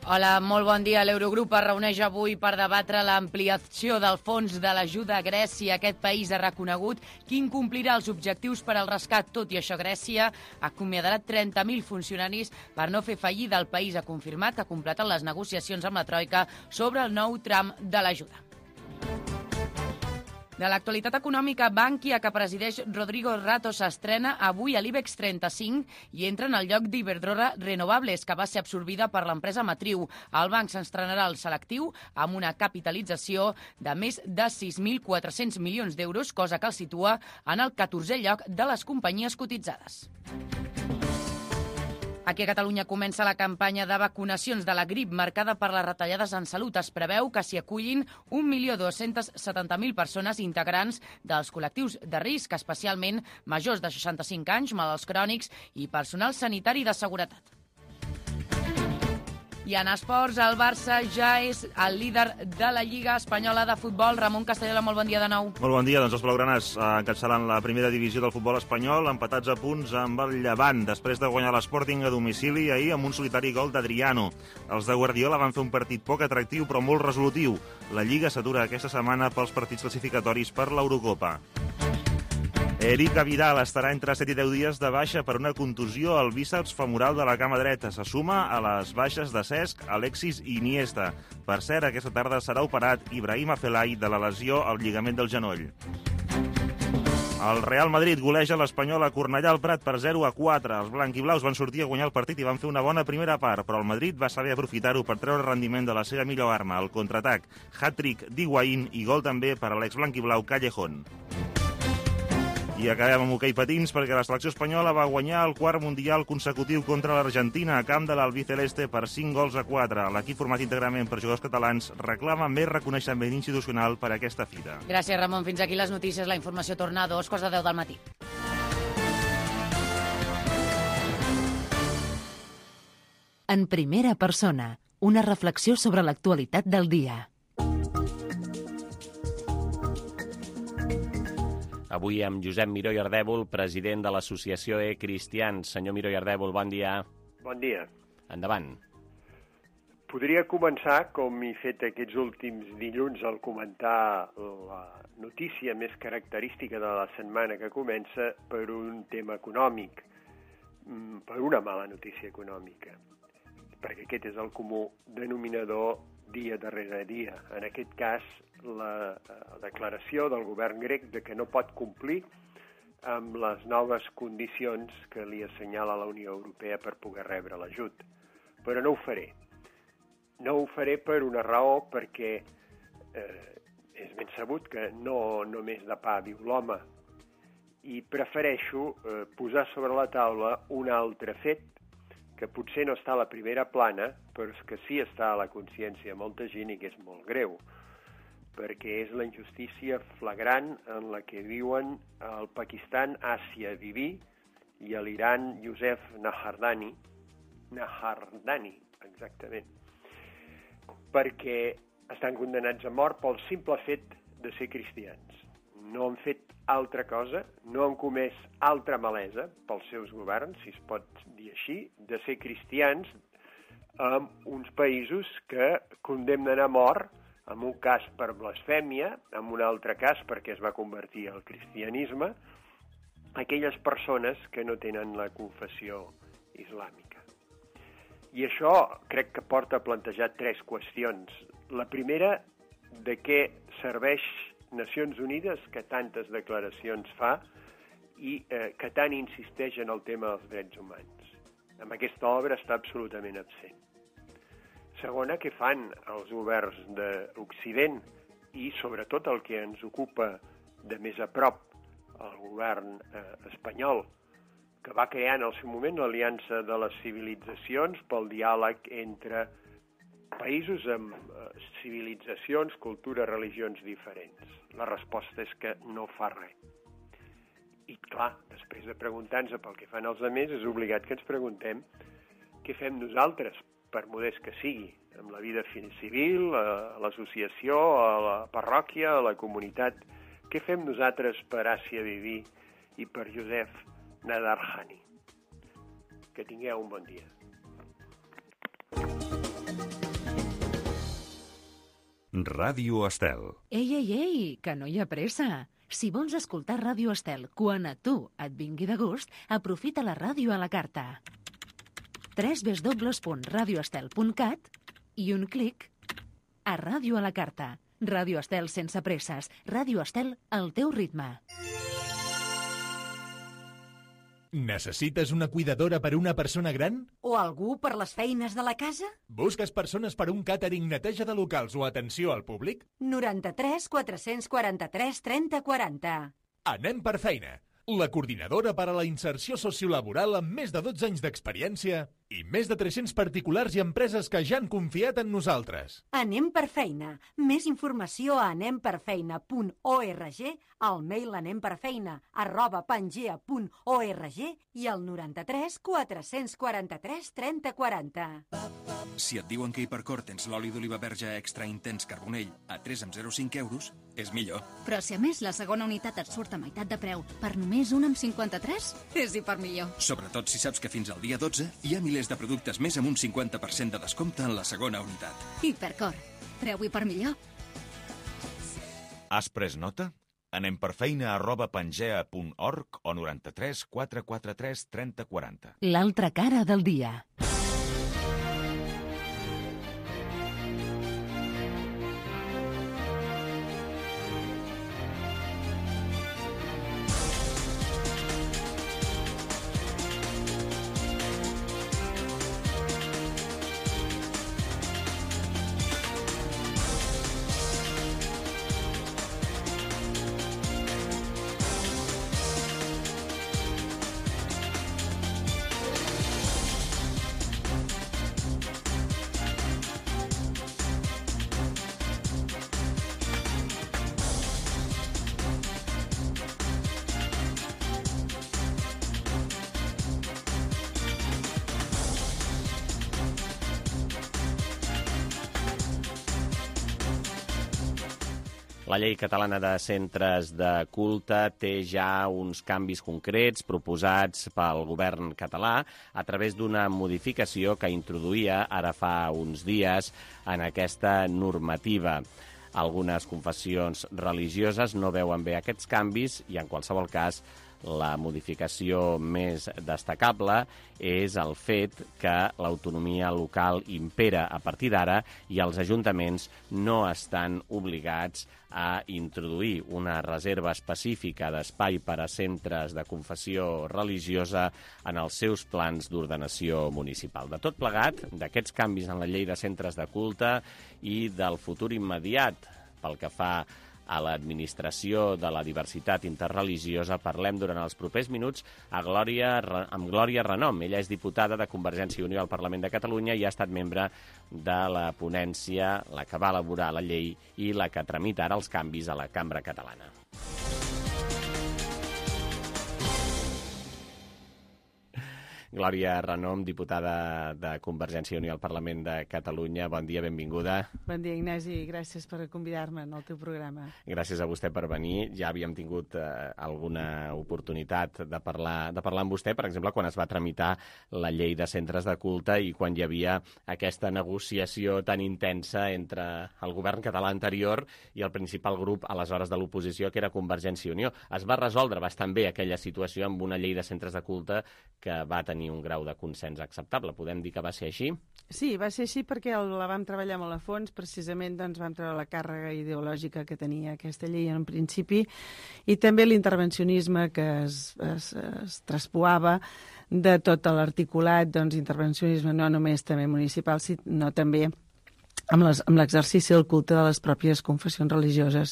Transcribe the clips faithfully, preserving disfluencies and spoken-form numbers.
Hola, molt bon dia. L'Eurogrup es reuneix avui per debatre l'ampliació del fons de l'ajuda a Grècia. Aquest país ha reconegut que incomplirà els objectius per al rescat. Tot i això, Grècia acomiadarà trenta mil funcionaris per no fer fallida. El país ha confirmat que ha completat les negociacions amb la Troika sobre el nou tram de l'ajuda. De l'actualitat econòmica, Bankia, que presideix Rodrigo Rato, s'estrena avui a l'IBEX trenta-cinc i entra en el lloc d'Iberdrola Renovables, que va ser absorbida per l'empresa matriu. El banc s'estrenarà al selectiu amb una capitalització de més de sis mil quatre-cents milions d'euros, cosa que el situa en el catorzè lloc de les companyies cotitzades. Aquí a Catalunya comença la campanya de vacunacions de la grip marcada per les retallades en salut. Es preveu que s'hi acullin un milió dos-cents setanta mil persones integrants dels col·lectius de risc, especialment majors de seixanta-cinc anys, malalts crònics i personal sanitari de seguretat. I en esports, el Barça ja és el líder de la Lliga Espanyola de Futbol. Ramon Castellola, molt bon dia de nou. Molt bon dia. Doncs els blaugranes encapçalant la primera divisió del futbol espanyol, empatats a punts amb el Llevant, després de guanyar l'Sporting a domicili ahir amb un solitari gol d'Adriano. Els de Guardiola van fer un partit poc atractiu però molt resolutiu. La Lliga s'atura aquesta setmana pels partits classificatoris per l'Eurocopa. Eric Vidal estarà entre set i deu dies de baixa per una contusió al bíceps femoral de la cama dreta. Se suma a les baixes de Cesc, Alexis i Iniesta. Per cert, aquesta tarda serà operat Ibrahim Afellay de la lesió al lligament del genoll. El Real Madrid goleja l'Espanyol a Cornellà al Prat per zero a quatre. Els blanquiblaus van sortir a guanyar el partit i van fer una bona primera part, però el Madrid va saber aprofitar-ho per treure rendiment de la seva millor arma, el contraatac. Hat-trick d'Higuaín i gol també per a l'ex-blanquiblau Callejón. I acabem amb hoquei patins perquè la selecció espanyola va guanyar el quart mundial consecutiu contra l'Argentina a camp de l'Albiceleste per cinc gols a quatre. L'equip format íntegrament per jugadors catalans reclama més reconeixement institucional per a aquesta fita. Gràcies, Ramon. Fins aquí les notícies. La informació torna a dos quarts de deu del matí. En primera persona, una reflexió sobre l'actualitat del dia. Avui amb Josep Miró i Ardèvol, president de l'associació E-Cristians. Senyor Miró i Ardèvol, bon dia. Bon dia. Endavant. Podria començar, com he fet aquests últims dilluns, al comentar la notícia més característica de la setmana que comença per un tema econòmic, per una mala notícia econòmica, perquè aquest és el comú denominador dia darrere dia. En aquest cas, la declaració del govern grec de que no pot complir amb les noves condicions que li assenyala la Unió Europea per poder rebre l'ajut. Però no ho faré. No ho faré per una raó, perquè eh, és ben sabut que no només de pa viu l'home, i prefereixo eh, posar sobre la taula un altre fet que potser no està a la primera plana, però que sí està a la consciència de molta gent i que és molt greu, perquè és la injustícia flagrant en la que viuen el Pakistan Asia Bibi i l'Iran Youssef Nahardani, Nahardani, exactament, perquè estan condemnats a mort pel simple fet de ser cristians. No han fet altra cosa, no han comès altra malesa pels seus governs, si es pot dir així, de ser cristians en uns països que condemnen a mort, en un cas per blasfèmia, en un altre cas perquè es va convertir al cristianisme, aquelles persones que no tenen la confessió islàmica. I això crec que porta a plantejar tres qüestions. La primera, de què serveix Nacions Unides, que tantes declaracions fa i eh, que tant insisteix en el tema dels drets humans. Amb aquesta obra està absolutament absent. Segona, què fan els governs d'Occident i sobretot el que ens ocupa de més a prop, el govern eh, espanyol, que va crear en el seu moment l'Aliança de les Civilitzacions pel diàleg entre països amb eh, civilitzacions, cultures, religions diferents. La resposta és que no fa res. I clar, després de preguntar-nos pel que fan els altres, és obligat que ens preguntem què fem nosaltres, per modest que sigui, amb la vida civil, a l'associació, a la parròquia, a la comunitat. Què fem nosaltres per Asia Bibi i per Youssef Nadarkhani? Que tingueu un bon dia. Ràdio Estel. Ei, ei, ei, que no hi ha pressa. Si vols escoltar Ràdio Estel quan a tu et vingui de gust, aprofita la ràdio a la carta. w w w punt radio estel punt cat i un clic a Ràdio a la carta. Ràdio Estel sense presses. Ràdio Estel al teu ritme. Necessites una cuidadora per a una persona gran? O algú per les feines de la casa? Busques persones per a un càtering, neteja de locals o atenció al públic? noranta-tres quatre-cents quaranta-tres trenta quaranta. Anem per feina. La coordinadora per a la inserció sociolaboral amb més de dotze anys d'experiència i més de tres-cents particulars i empreses que ja han confiat en nosaltres. Anem per feina. Més informació a anem per feina punt org, al mail anemperfeina arroba pangea punt org i al noranta-tres quatre-cents quaranta-tres trenta quaranta. Si et diuen que a Hipercor tens l'oli d'oliva verge extra intens carbonell a tres coma zero cinc euros, és millor. Però si a més la segona unitat et surt a meitat de preu per només un coma cinquanta-tres, és hipermillor. Sobretot si saps que fins al dia dotze hi ha milers de productes més amb un cinquanta per cent de descompte en la segona unitat. Hipercor. Preu hipermillor. Has pres nota? Anem per feina arroba pangea punt org o noranta-tres quatre quaranta-tres trenta quaranta. L'altra cara del dia. La llei catalana de centres de culte té ja uns canvis concrets proposats pel govern català a través d'una modificació que introduïa ara fa uns dies en aquesta normativa. Algunes confessions religioses no veuen bé aquests canvis i, en qualsevol cas, la modificació més destacable és el fet que l'autonomia local impera a partir d'ara i els ajuntaments no estan obligats a introduir una reserva específica d'espai per a centres de confessió religiosa en els seus plans d'ordenació municipal. De tot plegat, d'aquests canvis en la llei de centres de culte i del futur immediat pel que fa a l'administració de la diversitat interreligiosa, parlem durant els propers minuts a Glòria, amb Glòria Renom. Ella és diputada de Convergència i Unió al Parlament de Catalunya i ha estat membre de la ponència, la que va elaborar la llei i la que tramita ara els canvis a la Cambra Catalana. Glòria Renom, diputada de Convergència i Unió al Parlament de Catalunya. Bon dia, benvinguda. Bon dia, Ignasi. Gràcies per convidar-me al teu programa. Gràcies a vostè per venir. Ja havíem tingut eh, alguna oportunitat de parlar, de parlar amb vostè, per exemple, quan es va tramitar la llei de centres de culte i quan hi havia aquesta negociació tan intensa entre el govern català anterior i el principal grup, aleshores, de l'oposició, que era Convergència i Unió. Es va resoldre bastant bé aquella situació amb una llei de centres de culte que va tenir un grau de consens acceptable. Podem dir que va ser així? Sí, va ser així perquè el, la vam treballar molt a fons, precisament doncs, vam treure la càrrega ideològica que tenia aquesta llei en principi i també l'intervencionisme que es, es, es traspoava de tot l'articulat, doncs intervencionisme no només també municipal, sinó també amb l'exercici del culte de les pròpies confessions religioses.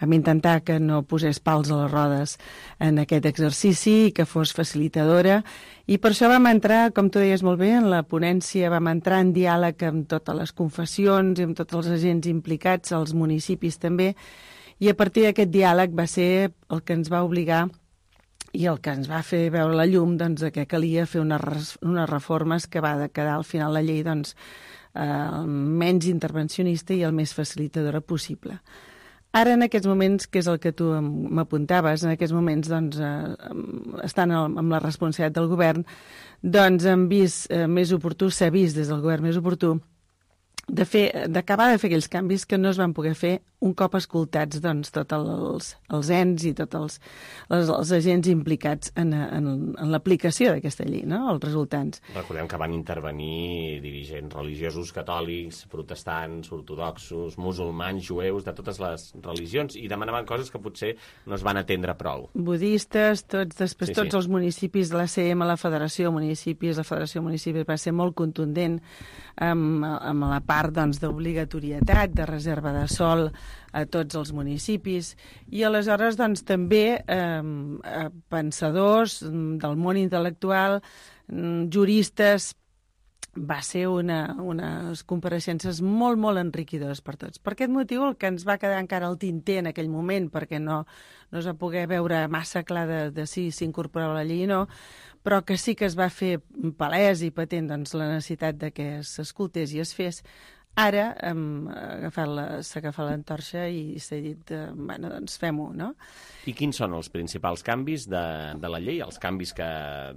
Vam intentar que no posés pals a les rodes en aquest exercici i que fos facilitadora i per això vam entrar, com tu deies molt bé, en la ponència, vam entrar en diàleg amb totes les confessions i amb tots els agents implicats, els municipis també, i a partir d'aquest diàleg va ser el que ens va obligar i el que ens va fer veure la llum doncs, que calia fer unes, unes reformes que va quedar al final la llei doncs, el menys intervencionista i el més facilitadora possible. Ara, en aquests moments, que és el que tu m'apuntaves, en aquests moments, doncs, eh, estan amb la responsabilitat del govern, doncs hem vist eh, més oportú, s'ha vist des del govern més oportú, de fer, d'acabar de fer aquells canvis que no es van poder fer un cop escoltats doncs, tots els, els ens i tots els, els, els agents implicats en, en, en l'aplicació d'aquesta llei, no? Els resultants. Recordem que van intervenir dirigents religiosos catòlics, protestants, ortodoxos, musulmans, jueus, de totes les religions, i demanaven coses que potser no es van atendre prou. Budistes, tots, després Sí, tots sí. els municipis de l'A C M, la Federació de Municipis, la Federació de Municipis va ser molt contundent amb, amb la part doncs, d'obligatorietat, de reserva de sòl a tots els municipis, i aleshores doncs, també eh, pensadors del món intel·lectual, juristes, va ser una, unes compareixences molt, molt enriquidores per tots. Per aquest motiu, el que ens va quedar encara al tinter en aquell moment, perquè no, no es va poder veure massa clar de, de si s'incorporava la llei o no, però que sí que es va fer palès i patent doncs, la necessitat de que s'escoltés i es fes. Ara hem agafat la, s'ha agafat l'entorxa i s'ha dit, eh, bueno, doncs fem-ho, no? I quins són els principals canvis de, de la llei? Els canvis que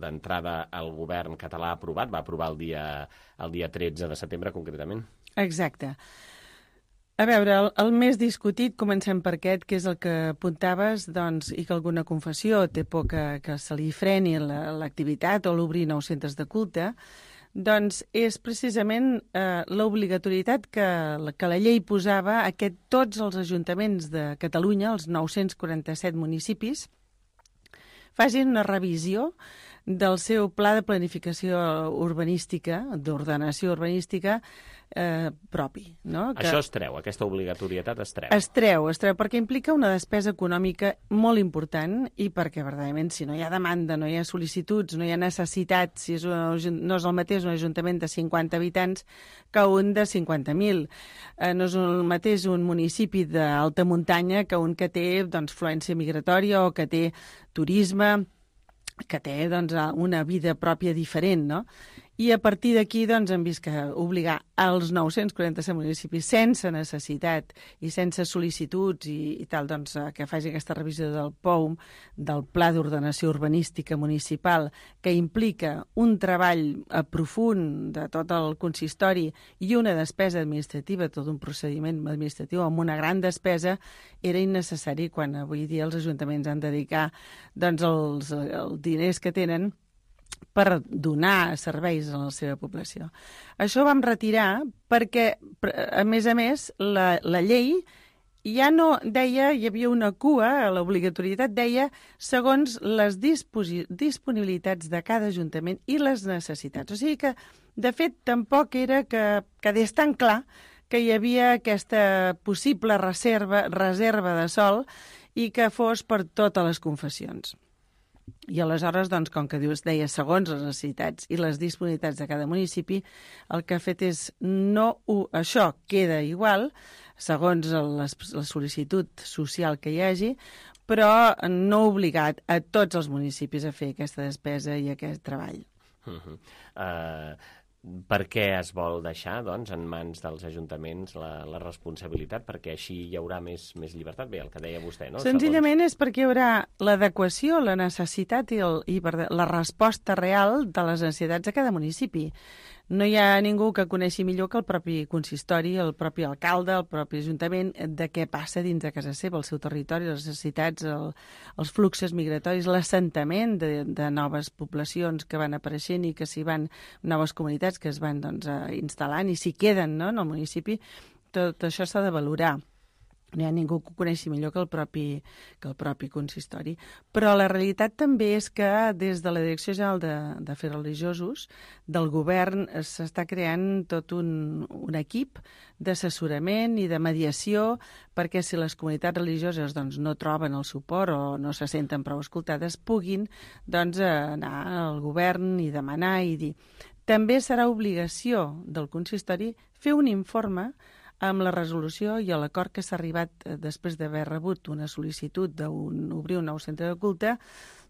d'entrada el govern català ha aprovat, va aprovar el dia, el dia tretze de setembre concretament? Exacte. A veure, el, el més discutit, comencem per aquest, que és el que apuntaves, doncs, i que alguna confessió té por que, que se li freni l'activitat o l'obrir nous centres de culte, doncs és precisament eh, l'obligatorietat que, que la llei posava a que tots els ajuntaments de Catalunya, els nou-cents quaranta-set municipis, facin una revisió del seu pla de planificació urbanística, d'ordenació urbanística, eh, propi. No? Que Això es treu, aquesta obligatorietat es treu. es treu, es treu, perquè implica una despesa econòmica molt important i perquè, verdaderament, si no hi ha demanda, no hi ha sol·licituds, no hi ha necessitat, si és un, no és el mateix un ajuntament de cinquanta habitants que un de cinquanta mil. Eh, no és el mateix un municipi d'alta muntanya que un que té doncs, fluència migratòria o que té turisme, que té doncs, una vida pròpia diferent, no? I a partir d'aquí doncs, hem vist que obligar als nou-cents quaranta-set municipis sense necessitat i sense sol·licituds i, i tal, doncs, que faci aquesta revisió del P O U M, del Pla d'Ordenació Urbanística Municipal, que implica un treball profund de tot el consistori i una despesa administrativa, tot un procediment administratiu amb una gran despesa, era innecessari quan avui dia els ajuntaments han de dedicar doncs, els, els diners que tenen per donar serveis a la seva població. Això ho vam retirar perquè, a més a més, la, la llei ja no deia, hi havia una cua, l'obligatorietat deia segons les disponibilitats de cada ajuntament i les necessitats. O sigui que, de fet, tampoc era que quedés tan clar que hi havia aquesta possible reserva, reserva de sòl i que fos per totes les confessions. I aleshores, doncs, com que dius, deia segons les necessitats i les disponibilitats de cada municipi, el que ha fet és no... Això queda igual, segons la, la sol·licitud social que hi hagi, però no obligat a tots els municipis a fer aquesta despesa i aquest treball. Uh-huh. uh... Per què es vol deixar doncs, en mans dels ajuntaments la, la responsabilitat? Perquè així hi haurà més, més llibertat? Bé, el que deia vostè, no? Senzillament Segons... és perquè hi haurà l'adequació, la necessitat i, el, i la resposta real de les necessitats de cada municipi. No hi ha ningú que coneixi millor que el propi consistori, el propi alcalde, el propi ajuntament, de què passa dins de casa seva, el seu territori, les necessitats, el, els fluxos migratoris, l'assentament de, de noves poblacions que van apareixent i que s'hi van, noves comunitats que es van doncs, instal·lant i s'hi queden, no?, en el municipi. Tot això s'ha de valorar. No hi ha ningú que ho coneixi millor que el propi, que el propi consistori. Però la realitat també és que des de la Direcció General de, d'Afers Religiosos del govern s'està creant tot un, un equip d'assessorament i de mediació perquè si les comunitats religioses doncs, no troben el suport o no se senten prou escoltades puguin doncs, anar al govern i demanar i dir. També serà obligació del consistori fer un informe amb la resolució i l'acord que s'ha arribat després d'haver rebut una sol·licitud d'obrir un nou centre de culte,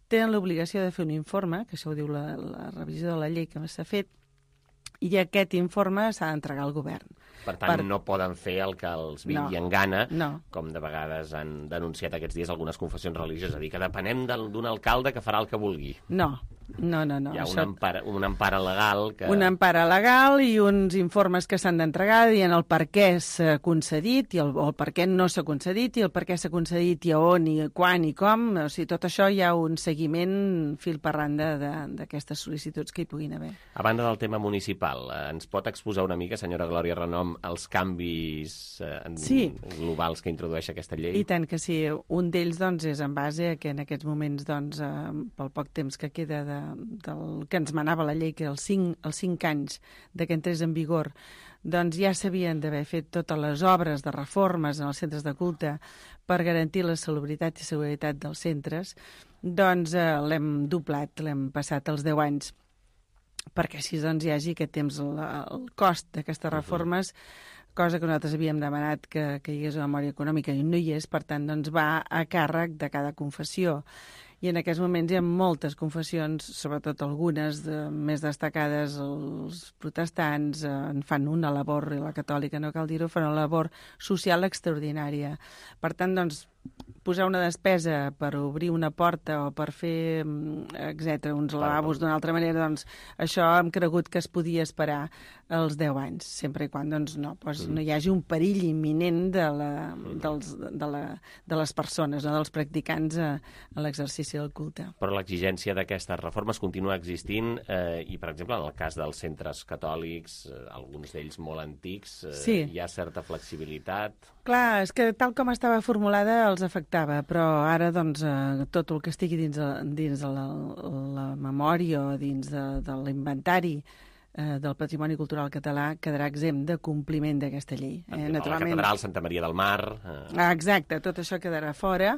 tenen l'obligació de fer un informe, que això ho diu la, la revisió de la llei que s'ha fet, i aquest informe s'ha d'entregar al govern. Per tant, per... no poden fer el que els vingui en gana, no. Com de vegades han denunciat aquests dies algunes confessions religioses, a dir que depenem d'un alcalde que farà el que vulgui. No, No, no, no. Hi ha això... una, empara, una empara legal que... Una empara legal i uns informes que s'han d'entregar dient el per què s'ha concedit i el, el per què no s'ha concedit i el per què s'ha concedit i a on i quan i com. O sigui, tot això hi ha un seguiment fil per randa d'aquestes sol·licituds que hi puguin haver. A banda del tema municipal, ens pot exposar una mica, senyora Glòria Renom, els canvis eh, sí. globals que introdueix aquesta llei? I tant que sí. Un d'ells doncs, és en base a que en aquests moments, doncs, eh, pel poc temps que queda de, del que ens manava la llei, que els cinc, els cinc anys de que entrés en vigor, doncs ja s'havien d'haver fet totes les obres de reformes en els centres de culte per garantir la salubritat i seguretat dels centres, doncs eh, l'hem doblat, l'hem passat als deu anys, perquè així doncs, hi hagi aquest temps, el, el cost d'aquestes reformes, cosa que nosaltres havíem demanat que, que hi hagués una memòria econòmica i no hi és, per tant, doncs va a càrrec de cada confessió. I en aquests moments hi ha moltes confessions, sobretot algunes de, més destacades, els protestants eh, en fan una labor, i la catòlica, no cal dir-ho, fan una labor social extraordinària. Per tant, doncs, posar una despesa per obrir una porta o per fer, etcètera, uns lavabos d'una altra manera, doncs això hem cregut que es podia esperar els deu anys, sempre i quan doncs, no, doncs, no hi hagi un perill imminent de, la, dels, de, la, de les persones, no, dels practicants a, a l'exercici del culte. Però l'exigència d'aquestes reformes continua existint eh, i, per exemple, en el cas dels centres catòlics, eh, alguns d'ells molt antics, eh, sí. hi ha certa flexibilitat. Clar, és que tal com estava formulada els afectava, però ara doncs, eh, tot el que estigui dins, dins de la, la memòria o dins de, de l'inventari eh, del patrimoni cultural català quedarà exempt de compliment d'aquesta llei. Eh, naturalment... La catedral Santa Maria del Mar... Eh... Ah, exacte, tot això quedarà fora.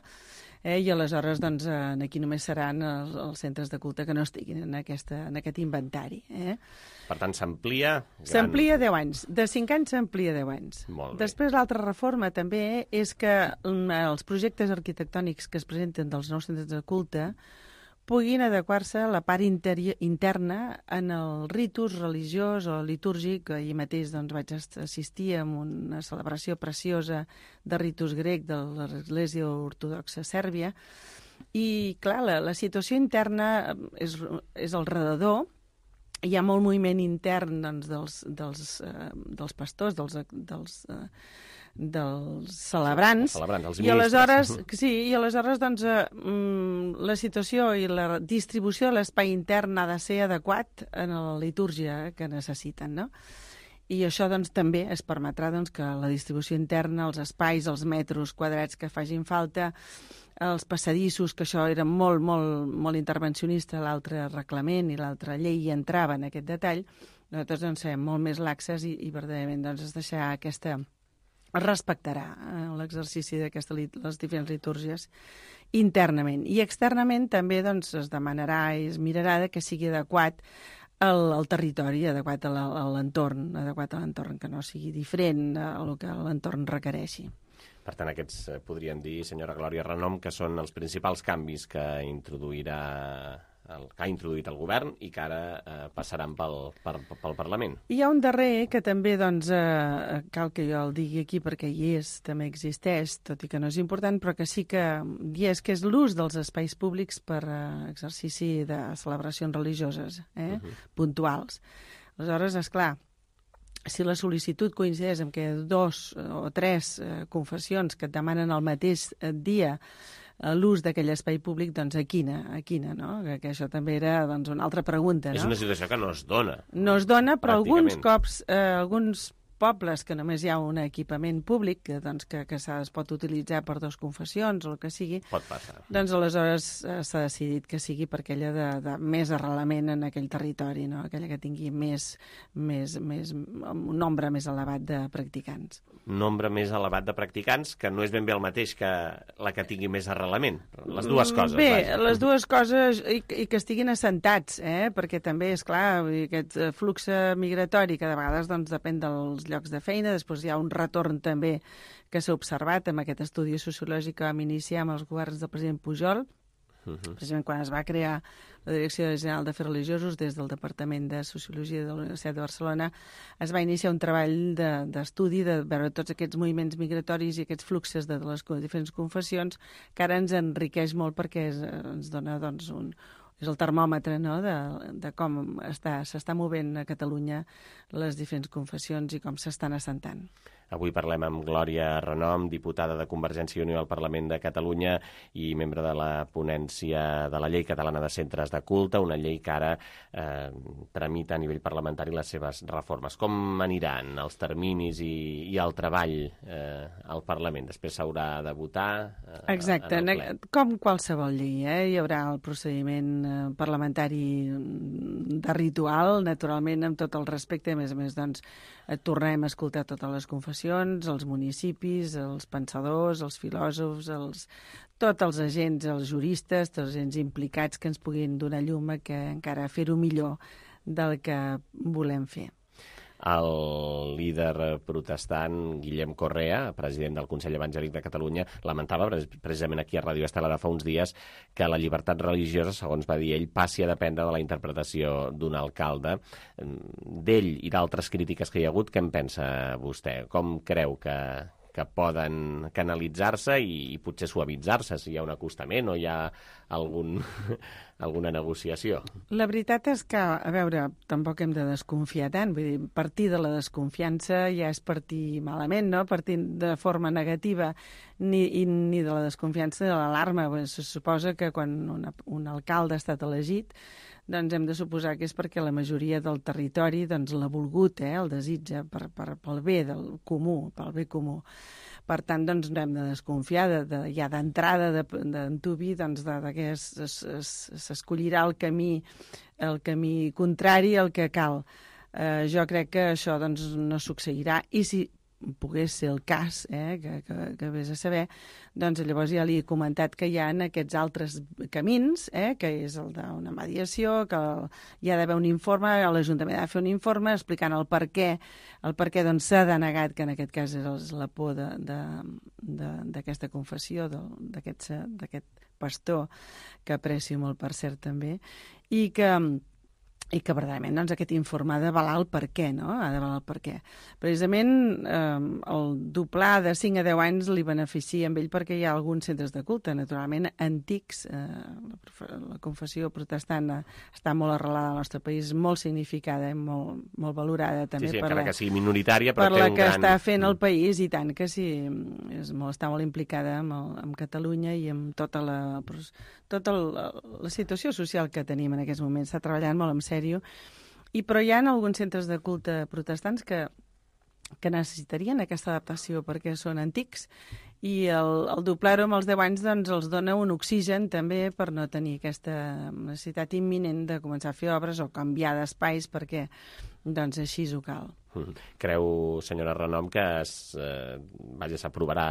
Eh, I aleshores doncs, eh, aquí només seran els, els centres de culte que no estiguin en, aquesta, en aquest inventari. Eh? Per tant, s'amplia... Gran... S'amplia deu anys. De cinc anys s'amplia deu anys. Molt bé. Després, l'altra reforma també és que els projectes arquitectònics que es presenten dels nous centres de culte puguin adequar-se a la part interna en el ritus religiós o litúrgic. Ahir mateix doncs, vaig assistir a una celebració preciosa de ritus grec de l'Església Ortodoxa Sèrbia i, clar, la, la situació interna és, és al redador. Hi ha molt moviment intern doncs, dels, dels, eh, dels pastors, dels, dels, eh, dels celebrants, sí, celebrants els i aleshores, sí, i aleshores doncs, eh, la situació i la distribució de l'espai intern ha de ser adequat en la litúrgia que necessiten, no? I això doncs, també es permetrà doncs, que la distribució interna, els espais, els metres quadrats que facin falta, els passadissos, que això era molt, molt, molt intervencionista, l'altre reglament i l'altra llei hi entrava en aquest detall, nosaltres doncs, serem molt més laxes i, i verdaderament doncs, es deixarà aquesta... es respectarà eh, l'exercici d'aquestes les diferents litúrgies internament. I externament també doncs, es demanarà i es mirarà que sigui adequat al, al territori, adequat a l'entorn, adequat a l'entorn, que no sigui diferent al que l'entorn requereixi. Per tant, aquests podríem dir, senyora Glòria Renom, que són els principals canvis que introduirà el, que ha introduït el govern i que ara eh, passaran pel, per, pel Parlament. Hi ha un darrer que també doncs, eh, cal que jo el digui aquí perquè hi és, també existeix, tot i que no és important, però que sí que hi és, que és l'ús dels espais públics per eh, exercici de celebracions religioses, eh, uh-huh. puntuals. Aleshores, esclar, si la sol·licitud coincideix amb que dos o tres eh, confessions que et demanen el mateix dia eh, l'ús d'aquell espai públic, doncs a quina, a quina, no? Que, que això també era doncs, una altra pregunta, no? És una situació que no es dona. No es dona, però alguns cops, eh, alguns pobles que només hi ha un equipament públic que, doncs, que, que es pot utilitzar per dues confessions o el que sigui, pot passar. Doncs aleshores eh, s'ha decidit que sigui per aquella de, de més arrelament en aquell territori, no? Aquella que tingui més, més, més, un nombre més elevat de practicants. Un nombre més elevat de practicants que no és ben bé el mateix que la que tingui més arrelament. Les dues coses. Bé, vaja. Les dues coses i, i que estiguin assentats, eh? Perquè també, és clar, aquest flux migratori que de vegades doncs, depèn dels llocs de feina, després hi ha un retorn també que s'ha observat amb aquest estudi sociològic que vam iniciar amb els governs del president Pujol, uh-huh. precisament quan es va crear la Direcció General d'Afers Religiosos des del Departament de Sociologia de la Universitat de Barcelona, es va iniciar un treball d'estudi de, de veure tots aquests moviments migratoris i aquests fluxes de les diferents confessions, que ara ens enriqueix molt perquè es, ens dona doncs, un és el termòmetre, no?, de, de com està, s'està movent a Catalunya les diferents confessions i com s'estan assentant. Avui parlem amb Glòria Renom, diputada de Convergència i Unió al Parlament de Catalunya i membre de la ponència de la Llei Catalana de Centres de Culte, una llei que ara eh, tramita a nivell parlamentari les seves reformes. Com aniran els terminis i, i el treball eh, al Parlament? Després s'haurà de votar eh, Exacte, en el ple. Com qualsevol llei, eh? Hi haurà el procediment eh, parlamentari de ritual, naturalment, amb tot el respecte. A més a més, doncs, eh, tornem a escoltar totes les confessions, els municipis, els pensadors, els filòsofs, els, tots els agents, els juristes, tots els agents implicats que ens puguin donar llum a que encara fer-ho millor del que volem fer. El líder protestant Guillem Correa, president del Consell Evangèlic de Catalunya, lamentava precisament aquí a Ràdio Estel ara fa uns dies que la llibertat religiosa, segons va dir ell, passi a dependre de la interpretació d'un alcalde. D'ell i d'altres crítiques que hi ha hagut, què en pensa vostè? Com creu que, que poden canalitzar-se i, i potser suavitzar-se si hi ha un acostament o hi ha algun, alguna negociació? La veritat és que, a veure, tampoc hem de desconfiar tant. Vull dir, partir de la desconfiança ja és partir malament, no? Partir de forma negativa ni, i, ni de la desconfiança de l'alarma. Se suposa que quan una, un alcalde ha estat elegit, doncs hem de suposar que és perquè la majoria del territori doncs, l'ha volgut, eh, el desitja per, per, pel bé del comú, pel bé comú. Per tant, doncs, no hem de desconfiar de, de, ja d'entrada d'antuvi doncs, de, de que s'escollirà el camí, el camí contrari al que cal. Eh, jo crec que això doncs, no succeirà, i si pogués ser el cas, eh, que, que, que vés a saber, doncs llavors ja li he comentat que hi ha aquests altres camins, eh, que és el d'una mediació, que hi ha d'haver un informe, l'Ajuntament ha de fer un informe explicant el per què, el per què doncs, s'ha denegat, que en aquest cas és la por d'aquesta confessió, d'aquest pastor, que aprecio molt, per cert, també, i que i que verdaderament doncs, aquest informe ha d'avalar el per què, no? Ha d'avalar el per què. Precisament eh, el doblar de cinc a deu anys li beneficia amb ell perquè hi ha alguns centres de culte, naturalment antics. Eh, la, la confessió protestant està molt arrelada al nostre país, molt significada i molt, molt valorada també. Sí, sí, per encara la, que sigui minoritària, però per té la un que gran... està fent el país, i tant que sí, és molt, està molt implicada amb, el, amb Catalunya i amb tota la, tota la, la situació social que tenim en aquests moments. Està treballant molt en sèrio. I, però hi ha alguns centres de culte protestants que, que necessitarien aquesta adaptació perquè són antics, i el, el doblar-ho amb els deu anys doncs, els dona un oxigen també per no tenir aquesta necessitat imminent de començar a fer obres o canviar d'espais perquè doncs, així ho cal. Creu, senyora Renom, que es, eh, vaja, s'aprovarà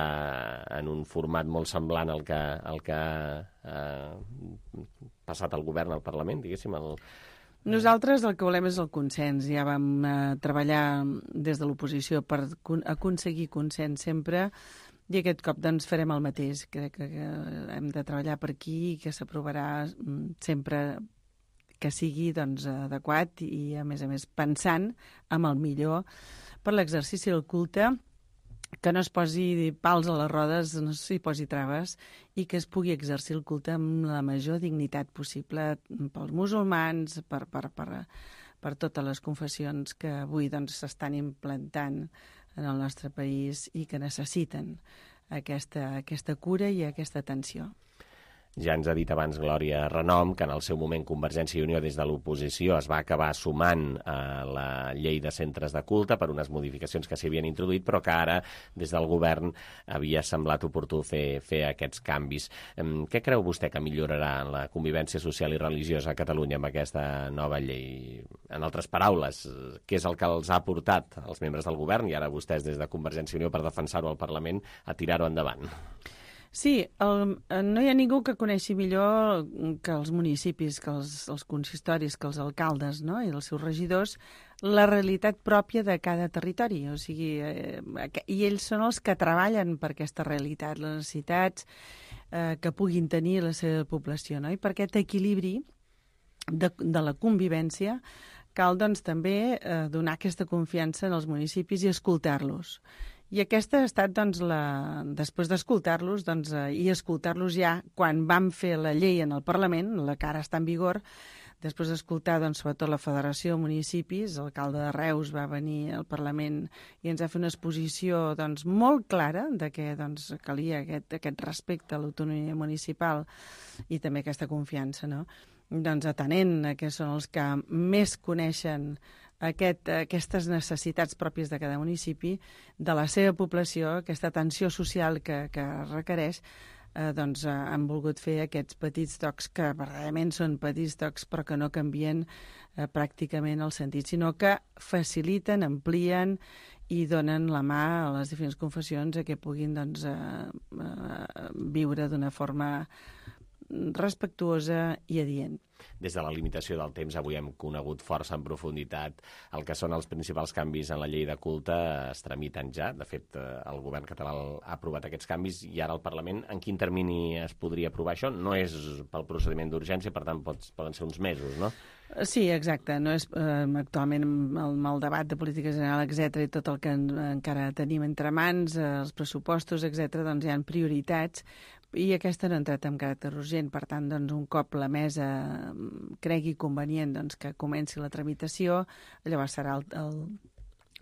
en un format molt semblant al que, al que ha eh, passat al govern, al Parlament, diguéssim, el... Nosaltres el que volem és el consens. Ja vam eh, treballar des de l'oposició per aconseguir consens sempre, i aquest cop doncs, farem el mateix. Crec que, que hem de treballar per aquí i que s'aprovarà sempre que sigui doncs, adequat i, a més a més, pensant en el millor per l'exercici del culte, que no es posi pals a les rodes, no s'hi posi traves, i que es pugui exercir el culte amb la major dignitat possible pels musulmans, per, per, per, per totes les confessions que avui doncs, s'estan implantant en el nostre país i que necessiten aquesta, aquesta cura i aquesta atenció. Ja ens ha dit abans Glòria Renom que en el seu moment Convergència i Unió des de l'oposició es va acabar sumant a la llei de centres de culte per unes modificacions que s'hi havien introduït, però que ara des del govern havia semblat oportú fer, fer aquests canvis. Què creu vostè que millorarà en la convivència social i religiosa a Catalunya amb aquesta nova llei? En altres paraules, què és el que els ha portat als membres del govern i ara vostès des de Convergència i Unió per defensar-ho al Parlament a tirar-ho endavant? Sí, el, no hi ha ningú que coneixi millor que els municipis, que els, els consistoris, que els alcaldes, no?, i els seus regidors, la realitat pròpia de cada territori. O sigui, eh, i ells són els que treballen per aquesta realitat, les necessitats eh, que puguin tenir la seva població, no? I per aquest equilibri de, de la convivència cal doncs, també eh, donar aquesta confiança en els municipis i escoltar-los. I aquesta ha estat, doncs, la... després d'escoltar-los, doncs, eh, i escoltar-los ja quan vam fer la llei en el Parlament, la que ara està en vigor, després d'escoltar, doncs, sobretot la Federació de Municipis, l'alcalde de Reus va venir al Parlament i ens va fer una exposició, doncs, molt clara de que, doncs, calia aquest, aquest respecte a l'autonomia municipal i també aquesta confiança, no? Doncs atenent a que són els que més coneixen aquest, aquestes necessitats pròpies de cada municipi, de la seva població, aquesta atenció social que, que requereix, eh, doncs eh, han volgut fer aquests petits tocs que verdaderament són petits tocs però que no canvien eh, pràcticament el sentit, sinó que faciliten, amplien i donen la mà a les diferents confessions a que puguin, doncs, eh, eh, viure d'una forma respectuosa i adient. Des de la limitació del temps, avui hem conegut força en profunditat el que són els principals canvis en la llei de culte. Es tramiten ja. De fet, el govern català ha aprovat aquests canvis i ara el Parlament, en quin termini es podria aprovar això? No és pel procediment d'urgència, per tant, pots, poden ser uns mesos, no? Sí, exacte. No és, eh, actualment, amb el debat de política general, etcètera, i tot el que en, encara tenim entre mans, eh, els pressupostos, etcètera, doncs hi ha prioritats, i aquesta no ha entrat en caràcter urgent. Per tant, doncs, un cop la mesa cregui convenient, doncs, que comenci la tramitació, llavors serà el, el,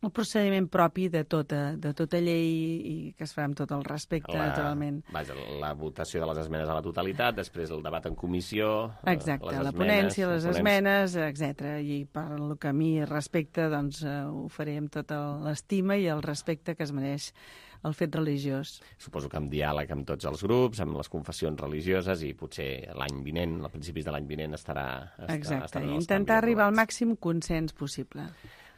el procediment propi de tota, de tota llei i que es farà amb tot el respecte, la, naturalment. Vaja, la votació de les esmenes a la totalitat, després el debat en comissió... Exacte, les la esmenes, ponència, les ponents... esmenes, etcètera. I per el que a mi respecta, doncs, ho faré amb tota l'estima i el respecte que es mereix el fet religiós. Suposo que amb diàleg amb tots els grups, amb les confessions religioses, i potser l'any vinent, a principis de l'any vinent, estarà... Exacte, estarà intentar arribar al màxim consens possible.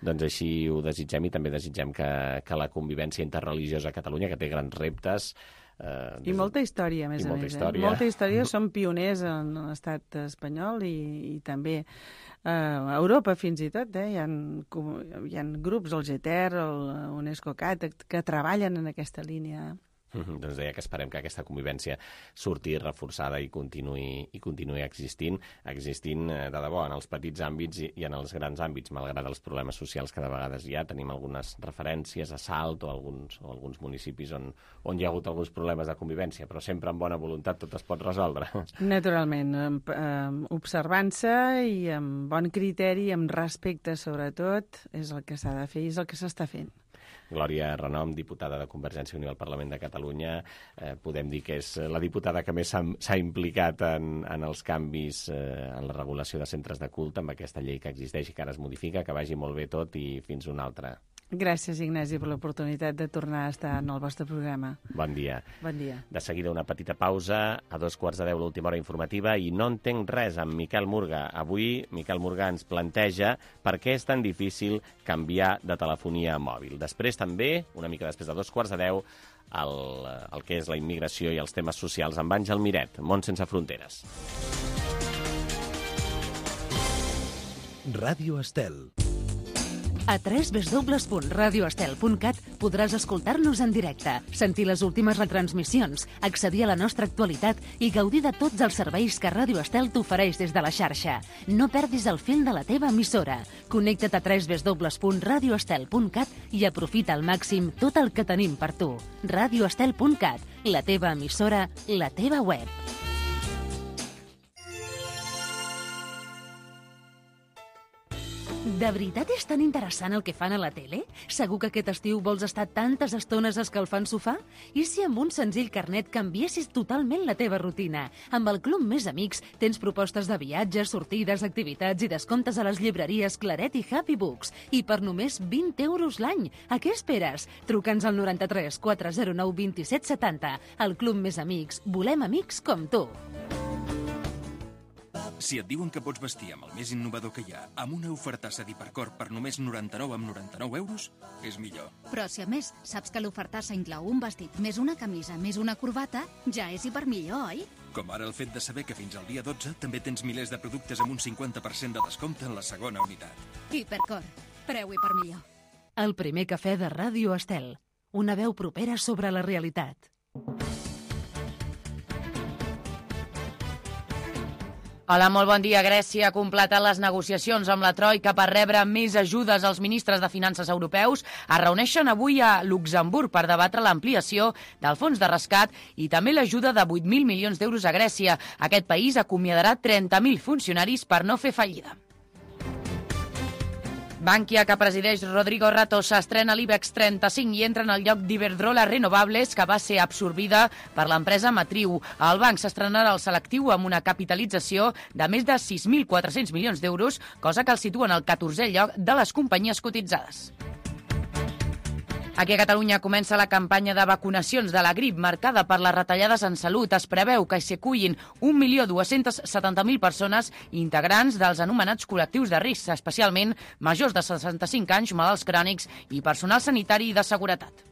Doncs així ho desitgem, i també desitgem que, que la convivència interreligiosa a Catalunya, que té grans reptes... Eh, I molta història, a més a molta més. Història. Eh? Molta història, som pioners en l'estat espanyol i, i també eh, a Europa fins i tot. Eh? Hi ha, hi ha grups, el G T E R, el UNESCO-Cat, que treballen en aquesta línia. Mm-hmm. Doncs deia que esperem que aquesta convivència surti reforçada i continuï, i continuï existint, existint de debò en els petits àmbits i, i en els grans àmbits, malgrat els problemes socials que de vegades hi ha. Tenim algunes referències a Salt o alguns, o alguns municipis on, on hi ha hagut alguns problemes de convivència, però sempre amb bona voluntat tot es pot resoldre. Naturalment, observant-se i amb bon criteri, amb respecte sobretot, és el que s'ha de fer i és el que s'està fent. Glòria Renom, diputada de Convergència i Unió al Parlament de Catalunya. Eh, podem dir que és la diputada que més s'ha implicat en, en els canvis eh, en la regulació de centres de culte, amb aquesta llei que existeix i que ara es modifica, que vagi molt bé tot i fins una altra. Gràcies, Ignasi, per l'oportunitat de tornar a estar en el vostre programa. Bon dia. Bon dia. De seguida una petita pausa, a dos quarts de deu l'última hora informativa i No entenc res amb Miquel Murga. Avui Miquel Murga ens planteja per què és tan difícil canviar de telefonia mòbil. Després també, una mica després de dos quarts de deu, el, el que és la immigració i els temes socials amb Àngel Miret, Món sense fronteres. Ràdio Estel. A w w w punt radio estel punt cat podràs escoltar-nos en directe, sentir les últimes retransmissions, accedir a la nostra actualitat i gaudir de tots els serveis que Ràdio Estel t'ofereix des de la xarxa. No perdis el fil de la teva emissora. Connecta't a w w w punt radio estel punt cat i aprofita al màxim tot el que tenim per tu. radio estel punt cat, la teva emissora, la teva web. De veritat és tan interessant el que fan a la tele? Segur que aquest estiu vols estar tantes estones escalfant sofà? I si amb un senzill carnet canviessis totalment la teva rutina? Amb el Club Més Amics tens propostes de viatges, sortides, activitats i descomptes a les llibreries Claret i Happy Books. I per només vint euros l'any. A què esperes? Truca'ns al noranta-tres quatre zero nou vint set setanta. El Club Més Amics. Volem amics com tu. Si et diuen que pots vestir amb el més innovador que hi ha, amb una ofertassa d'Hipercor per només noranta-nou amb noranta-nou euros, és millor. Però si a més saps que l'ofertassa inclou un vestit més una camisa més una corbata, ja és hipermillor, oi? Com ara el fet de saber que fins al dia dotze també tens milers de productes amb un cinquanta per cent de descompte en la segona unitat. Hipercor. Preu hipermillor. El primer cafè de Ràdio Estel. Una veu propera sobre la realitat. Hola, molt bon dia. Grècia ha completat les negociacions amb la Troika per rebre més ajudes als ministres de Finances europeus. Es reuneixen avui a Luxemburg per debatre l'ampliació del fons de rescat i també l'ajuda de vuit mil milions d'euros a Grècia. Aquest país acomiadarà trenta mil funcionaris per no fer fallida. Bankia, que presideix Rodrigo Rato, s'estrena a l'IBEX trenta-cinc i entra en el lloc d'Iberdrola Renovables, que va ser absorbida per l'empresa matriu. El banc s'estrenarà al selectiu amb una capitalització de més de sis mil quatre-cents milions d'euros, cosa que el situa en el catorzè lloc de les companyies cotitzades. Aquí a Catalunya comença la campanya de vacunacions de la grip marcada per les retallades en salut. Es preveu que s'hi acullin un milió dos-cents setanta mil persones integrants dels anomenats col·lectius de risc, especialment majors de seixanta-cinc anys, malalts crònics i personal sanitari i de seguretat.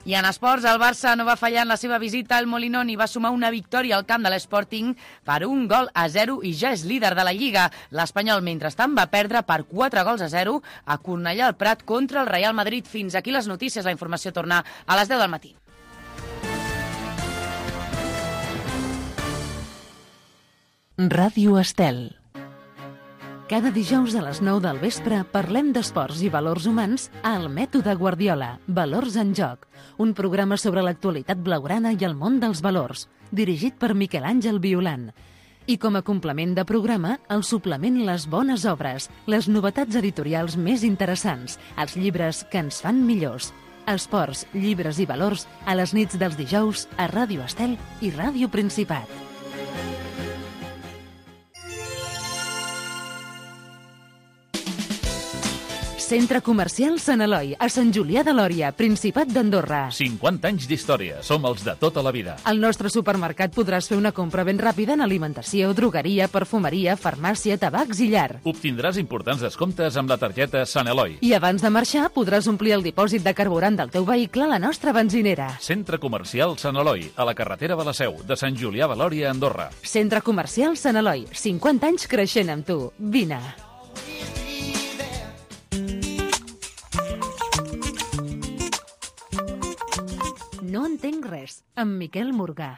I en esports, el Barça no va fallar en la seva visita al Molinón i va sumar una victòria al camp de l'Sporting per un gol a zero i ja és líder de la Lliga. L'Espanyol, mentrestant, va perdre per quatre gols a zero a Cornellà al Prat contra el Real Madrid. Fins aquí les notícies. La informació torna a les deu del matí. Ràdio Estel. Cada dijous a les nou del vespre parlem d'esports i valors humans al Mètode Guardiola, Valors en Joc, un programa sobre l'actualitat blaugrana i el món dels valors, dirigit per Miquel Àngel Violant. I com a complement de programa, el suplement Les Bones Obres, les novetats editorials més interessants, els llibres que ens fan millors. Esports, llibres i valors a les nits dels dijous a Ràdio Estel i Ràdio Principat. Centre Comercial Sant Eloi, a Sant Julià de Lòria, Principat d'Andorra. cinquanta anys d'història. Som els de tota la vida. Al nostre supermercat podràs fer una compra ben ràpida en alimentació, drogueria, perfumeria, farmàcia, tabacs i llar. Obtindràs importants descomptes amb la targeta Sant Eloi. I abans de marxar podràs omplir el dipòsit de carburant del teu vehicle a la nostra benzinera. Centre Comercial Sant Eloi, a la carretera de la Seu, de Sant Julià de Lòria, Andorra. Centre Comercial Sant Eloi, cinquanta anys creixent amb tu. Vine. No entenc res, amb Miquel Morgà.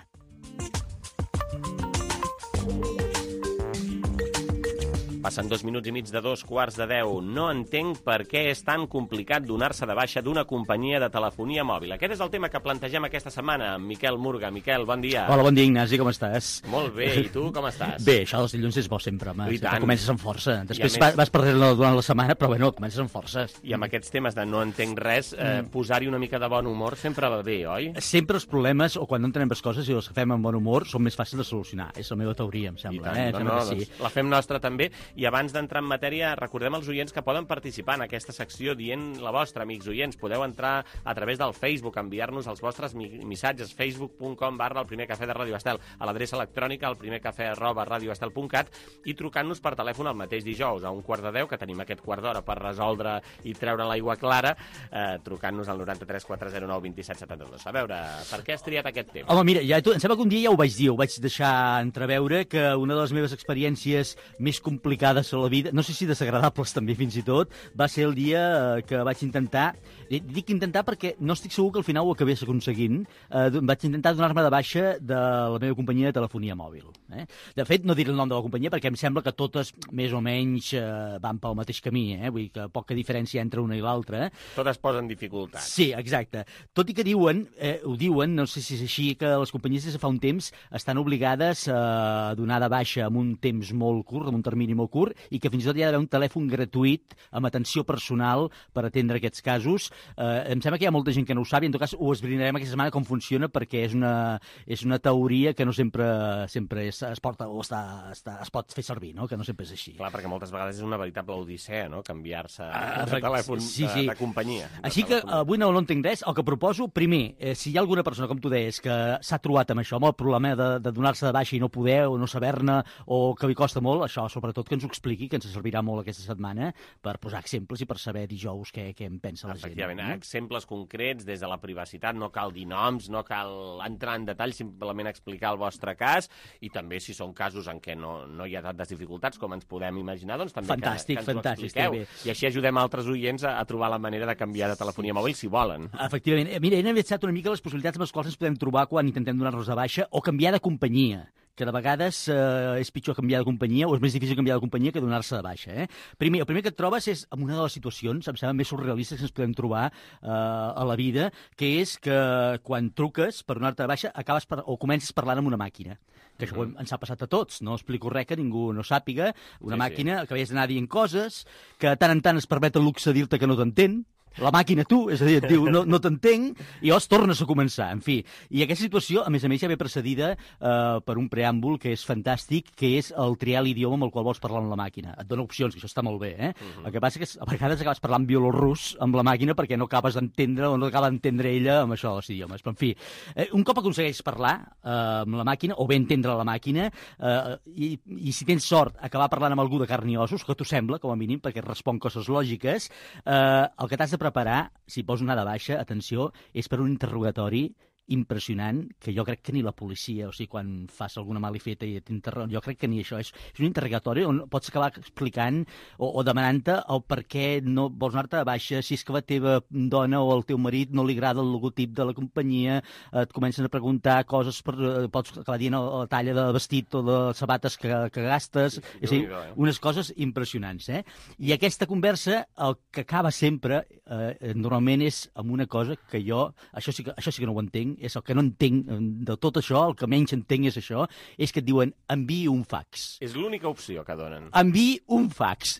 Passen dos minuts i mig de dos quarts de deu. No entenc per què és tan complicat donar-se de baixa d'una companyia de telefonia mòbil. Aquest és el tema que plantegem aquesta setmana amb Miquel Murga. Miquel, bon dia. Hola, bon dia, Ignasi, com estàs? Molt bé, i tu com estàs? Bé, això dels dilluns és bo sempre, home. I tant. Comences amb força. Després més... vas perdent-la durant la setmana, però bueno, comences amb força. I amb aquests temes de no entenc res, eh, mm. posar-hi una mica de bon humor sempre va bé, oi? Sempre els problemes, o quan no entenem les coses i els fem amb bon humor, són més fàcils de solucionar. És la meva teoria, em sembla. I tant, eh? no, no, sí. Doncs la fem nostra també. I abans d'entrar en matèria, recordem als oients que poden participar en aquesta secció dient la vostra, amics oients. Podeu entrar a través del Facebook, enviar-nos els vostres missatges, facebook punt com barra el primer cafè de Ràdio Estel, a l'adreça electrònica el primer cafè arroba radioestel punt cat i trucant-nos per telèfon el mateix dijous a un quart de deu, que tenim aquest quart d'hora per resoldre i treure l'aigua clara, eh, trucant-nos al noranta-tres quatre zero nou vint set setanta-dos. A veure, per què has triat aquest tema? Home, mira, ja, tu, em sembla que un dia ja ho vaig dir, ho vaig deixar entreveure, que una de les meves experiències més complicades a la vida, no sé si desagradables també fins i tot, va ser el dia que vaig intentar, dic intentar perquè no estic segur que al final ho acabés aconseguint, eh, vaig intentar donar-me de baixa de la meva companyia de telefonia mòbil. Eh? De fet, no diré el nom de la companyia perquè em sembla que totes més o menys eh, van pel mateix camí, eh? Vull dir que poca diferència entre una i l'altra. Totes posen dificultats. Sí, exacte. Tot i que diuen, eh, ho diuen, no sé si és així, que les companyies des de fa un temps estan obligades a donar de baixa en un temps molt curt, en un termini molt curt, i que fins i tot hi ha d'haver un telèfon gratuït amb atenció personal per atendre aquests casos. Eh, em sembla que hi ha molta gent que no ho sap i en tot cas ho esbrinarem aquesta setmana com funciona perquè és una, és una teoria que no sempre, sempre és, es, porta, o està, està, es pot fer servir, no? Que no sempre és així. Clar, perquè moltes vegades és una veritable odissea, no?, canviar-se ah, de telèfon sí, sí. De, de companyia. De així telèfon. Que avui no, no entenc res. El que proposo, primer, eh, si hi ha alguna persona, com tu deies, que s'ha trobat amb això, amb el problema de, de donar-se de baixa i no poder o no saber-ne o que li costa molt, això sobretot que ens ho expliqui, que ens servirà molt aquesta setmana per posar exemples i per saber dijous què, què en pensa la gent. Efectivament, no? Exemples concrets des de la privacitat, no cal dir noms, no cal entrar en detall, simplement explicar el vostre cas i també si són casos en què no, no hi ha tantes dificultats com ens podem imaginar, doncs també fantàstic, que, que ens fantàstic, ho expliqueu. I així ajudem altres oients a, a trobar la manera de canviar de telefonia mòbil si volen. Efectivament. Mira, he analitzat una mica les possibilitats amb les quals ens podem trobar quan intentem donar-nos de baixa o canviar de companyia, que de vegades eh, és pitjor canviar de companyia o és més difícil canviar de companyia que donar-se de baixa. Eh? Primer, el primer que et trobes és en una de les situacions, em sembla més surrealistes que ens podem trobar eh, a la vida, que és que quan truques per donar-te de baixa acabes per, o comences parlant amb una màquina. Que això mm-hmm. ens ha passat a tots, no explico res que ningú no sàpiga. Una sí, màquina sí. que veies d'anar dient coses, que de tant en tant es permet el luxe de dir-te que no t'entén, la màquina tu, és a dir, et diu no, no t'entenc, i llavors tornes a començar, en fi. I aquesta situació, a més a més, ja ve precedida eh, per un preàmbul que és fantàstic, que és el triar l'idioma amb el qual vols parlar amb la màquina. Et dona opcions, que això està molt bé, eh? Uh-huh. El que passa és que a vegades acabes parlant bielorrus amb la màquina perquè no acabes d'entendre o no acaba d'entendre ella amb això dels idiomes. Però, en fi, eh, un cop aconsegueix parlar eh, amb la màquina, o bé entendre la màquina, eh, i, i si tens sort, acabar parlant amb algú de carn i ossos, que t'ho sembla, com a mínim, perquè et respon coses lògiques, eh, el que t'has de preparar, si vols anar de baixa, atenció, és per un interrogatori impressionant, que jo crec que ni la policia, o sigui, quan fas alguna malifeta i t'interroguen, jo crec que ni això és, és un interrogatori on pots acabar explicant o, o demanant-te el per què no vols anar-te de baixa, si és que la teva dona o el teu marit no li agrada el logotip de la companyia, et comencen a preguntar coses, per, pots acabar dient la talla de vestit o de sabates que, que gastes, sí, és a dir, unes coses impressionants, eh? I aquesta conversa, el que acaba sempre, eh, normalment és amb una cosa que jo, això sí que, això sí que no ho entenc, és el que no entenc de tot això, el que menys entenc és això, és que et diuen enviï un fax. És l'única opció que donen. Enviï un fax.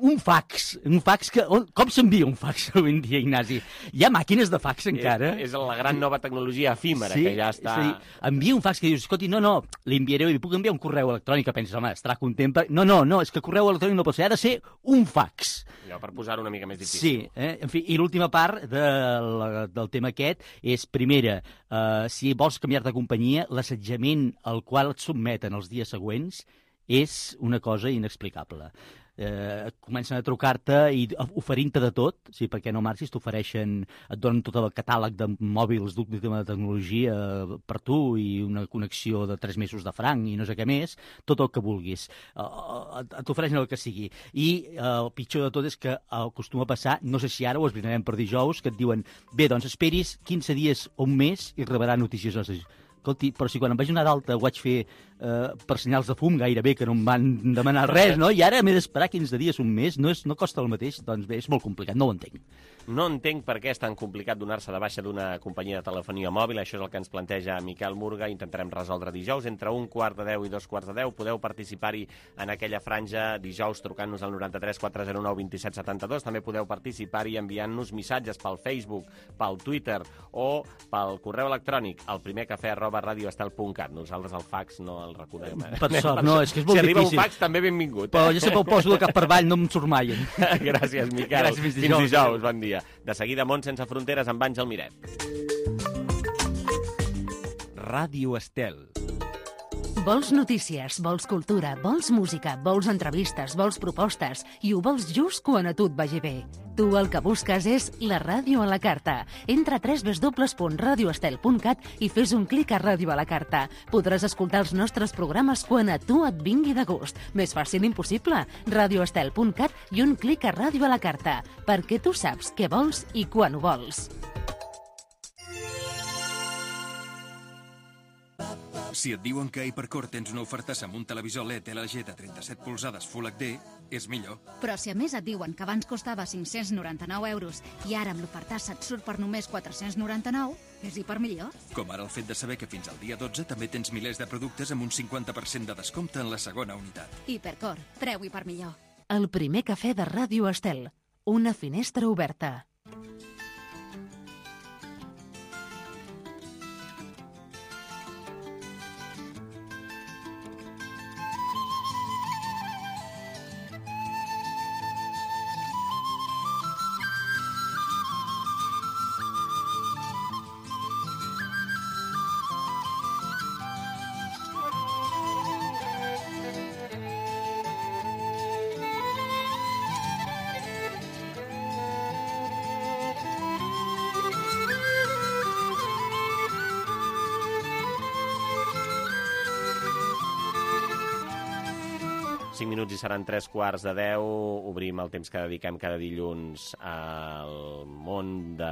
Un fax. Un fax que... Com s'envia un fax avui en dia, Ignasi? Hi ha màquines de fax encara? És, és la gran nova tecnologia efímera, sí, que ja està... Sí, envia un fax que dius, escolti, no, no, li enviaré, li puc enviar un correu electrònic, que penses, home, estarà content per... No, no, no, és que correu electrònic no pot ser, ha de ser un fax. Allò, per posar-ho una mica més difícil. Sí, eh? En fi, i l'última part de la, del tema aquest és, primera, eh, si vols canviar de companyia, l'assetjament al qual et sotmeten els dies següents és una cosa inexplicable. Eh, comencen a trucar-te i oferint-te de tot, sí, perquè no marxis, t'ofereixen, et donen tot el catàleg de mòbils d'última tecnologia per tu i una connexió de tres mesos de franc i no sé què més, tot el que vulguis. Eh, t'ofereixen el que sigui. I eh, el pitjor de tot és que acostuma a passar, no sé si ara ho esbrinarem per dijous, que et diuen, bé, doncs esperis quinze dies o un mes i rebrà notícies. Escolti, però si quan em vaig anar d'alta ho vaig fer eh, per senyals de fum gairebé, que no em van demanar res, no? I ara m'he d'esperar quinze dies, un mes, no, és, no costa el mateix? Doncs bé, és molt complicat, no ho entenc. No entenc per què és tan complicat donar-se de baixa d'una companyia de telefonia mòbil. Això és el que ens planteja Miquel Murga. Intentarem resoldre dijous. Entre un quart de deu i dos quarts de deu podeu participar-hi en aquella franja dijous trucant-nos al noranta-tres quatre zero nou vint set setanta-dos. També podeu participar-hi enviant-nos missatges pel Facebook, pel Twitter o pel correu electrònic, al primer cafè arroba radioestel punt cat. Nosaltres el fax no el recordem. Eh? Per sort, no, és que és molt si difícil. Si arriba un fax, també benvingut. Eh? Però jo sempre ho poso de cap per avall, no em surt mai. Gràcies, Miquel. Gràcies, fins dijous. Fins dijous, bon dia. De seguida, Món sense fronteres amb Àngel Miret. Ràdio Estel. Vols notícies, vols cultura, vols música, vols entrevistes, vols propostes i ho vols just quan a tu et vagi bé. Tu el que busques és la ràdio a la carta. Entra a w w w punt radioestel punt cat i fes un clic a Ràdio a la carta. Podràs escoltar els nostres programes quan a tu et vingui de gust. Més fàcil impossible. radioestel punt cat i un clic a Ràdio a la carta. Perquè tu saps què vols i quan ho vols. Si et diuen que a Hipercor tens una oferta amb un televisor L E D L G de trenta-set polzades Full H D, és millor. Però si a més et diuen que abans costava cinc-cents noranta-nou euros i ara amb l'ofertassa et surt per només quatre-cents noranta-nou, és hiper millor. Com ara el fet de saber que fins al dia dotze també tens milers de productes amb un cinquanta per cent de descompte en la segona unitat. Hipercor, preu hiper millor. El primer cafè de Ràdio Estel. Una finestra oberta. cinc minuts i seran tres quarts de deu. Obrim el temps que dediquem cada dilluns al món de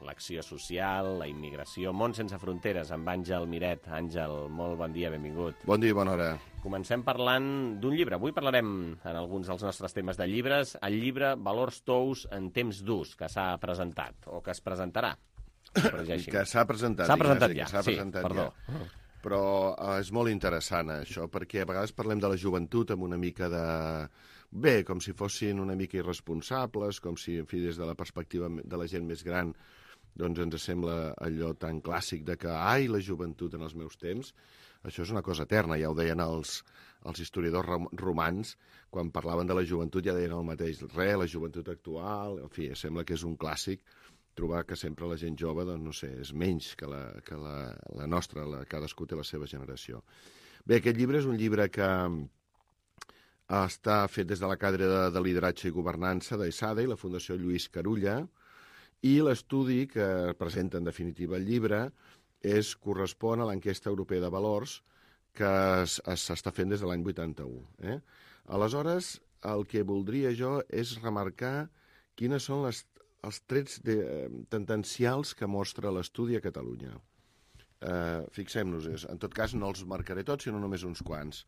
l'acció social, la immigració, món sense fronteres, amb Àngel Miret. Àngel, molt bon dia, benvingut. Bon dia i bona hora. Comencem parlant d'un llibre. Avui parlarem, en alguns dels nostres temes de llibres, el llibre Valors Tous en temps durs, que s'ha presentat, o que es presentarà. Que s'ha presentat. S'ha presentat ja, ja sí, perdó. Ja. Però uh, és molt interessant, això, perquè a vegades parlem de la joventut amb una mica de... Bé, com si fossin una mica irresponsables, com si, en fi, des de la perspectiva de la gent més gran, doncs ens sembla allò tan clàssic de que, ai, la joventut en els meus temps, això és una cosa eterna, ja ho deien els, els historiadors romans, quan parlaven de la joventut ja deien el mateix, re, la joventut actual, en fi, sembla que és un clàssic, trobar que sempre la gent jove, doncs, no sé, és menys que la, que la, la nostra, la, cadascú té la seva generació. Bé, aquest llibre és un llibre que està fet des de la càtedra de, de lideratge i governança d'ESADE i la Fundació Lluís Carulla, i l'estudi que presenta en definitiva el llibre és, correspon a l'enquesta europea de valors que s'està fent des de l'any vuitanta-u. Eh? Aleshores, el que voldria jo és remarcar quines són les els trets de, eh, tendencials que mostra l'estudi a Catalunya. Eh, Fixem-nos, en tot cas no els marcaré tots, sinó només uns quants.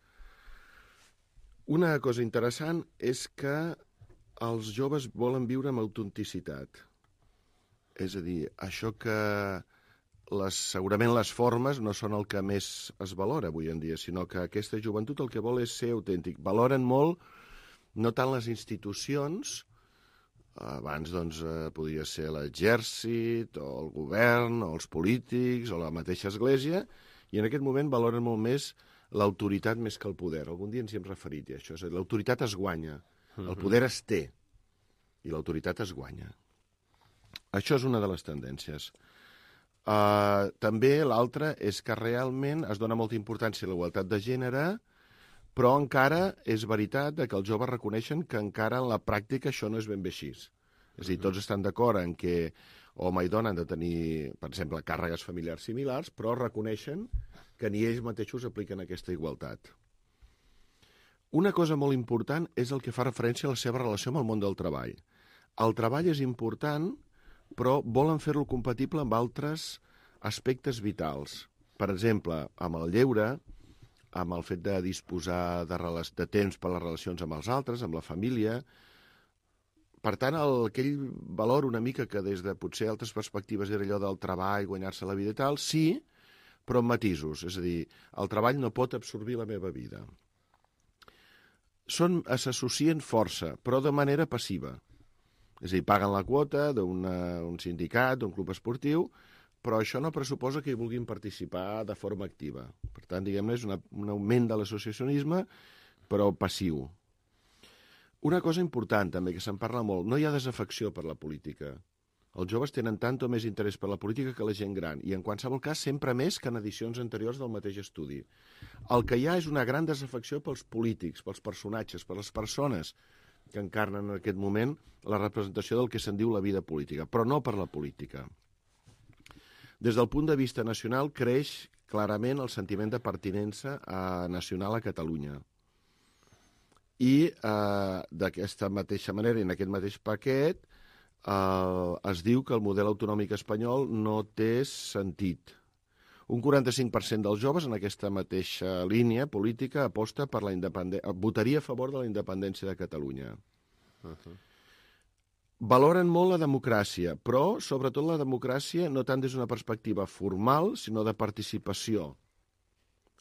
Una cosa interessant és que els joves volen viure amb autenticitat. És a dir, això que les, segurament les formes no són el que més es valora avui en dia, sinó que aquesta joventut el que vol és ser autèntic. Valoren molt no tant les institucions. Abans, doncs, eh, podria ser l'exèrcit, o el govern, o els polítics, o la mateixa església, i en aquest moment valoren molt més l'autoritat més que el poder. Algun dia ens hi hem referit, i això és l'autoritat es guanya, el poder es té, i l'autoritat es guanya. Això és una de les tendències. Uh, també l'altra és que realment es dona molta importància a la igualtat de gènere, però encara és veritat que els joves reconeixen que encara en la pràctica això no és ben bé així. És a dir, tots estan d'acord en que home i dona han de tenir, per exemple, càrregues familiars similars, però reconeixen que ni ells mateixos apliquen aquesta igualtat. Una cosa molt important és el que fa referència a la seva relació amb el món del treball. El treball és important, però volen fer-lo compatible amb altres aspectes vitals. Per exemple, amb el lleure, amb el fet de disposar de, de temps per a les relacions amb els altres, amb la família. Per tant, el, aquell valor una mica que des de potser altres perspectives era allò del treball, guanyar-se la vida i tal, sí, però amb matisos. És a dir, el treball no pot absorbir la meva vida. Són, s'associen força, però de manera passiva. És a dir, paguen la quota d'un sindicat, d'un club esportiu, però això no pressuposa que hi vulguin participar de forma activa. Per tant, diguem-ne, és una, un augment de l'associacionisme, però passiu. Una cosa important, també, que se'n parla molt, no hi ha desafecció per la política. Els joves tenen tant o més interès per la política que la gent gran, i en qualsevol cas sempre més que en edicions anteriors del mateix estudi. El que hi ha és una gran desafecció pels polítics, pels personatges, per les persones que encarnen en aquest moment la representació del que se'n diu la vida política, però no per la política. Des del punt de vista nacional, creix clarament el sentiment de pertinença a, nacional a Catalunya. I eh, d'aquesta mateixa manera, en aquest mateix paquet, eh, es diu que el model autonòmic espanyol no té sentit. Un quaranta-cinc per cent dels joves en aquesta mateixa línia política aposta per la independència, votaria a favor de la independència de Catalunya. Uh-huh. Valoren molt la democràcia, però sobretot la democràcia no tant des d'una perspectiva formal, sinó de participació.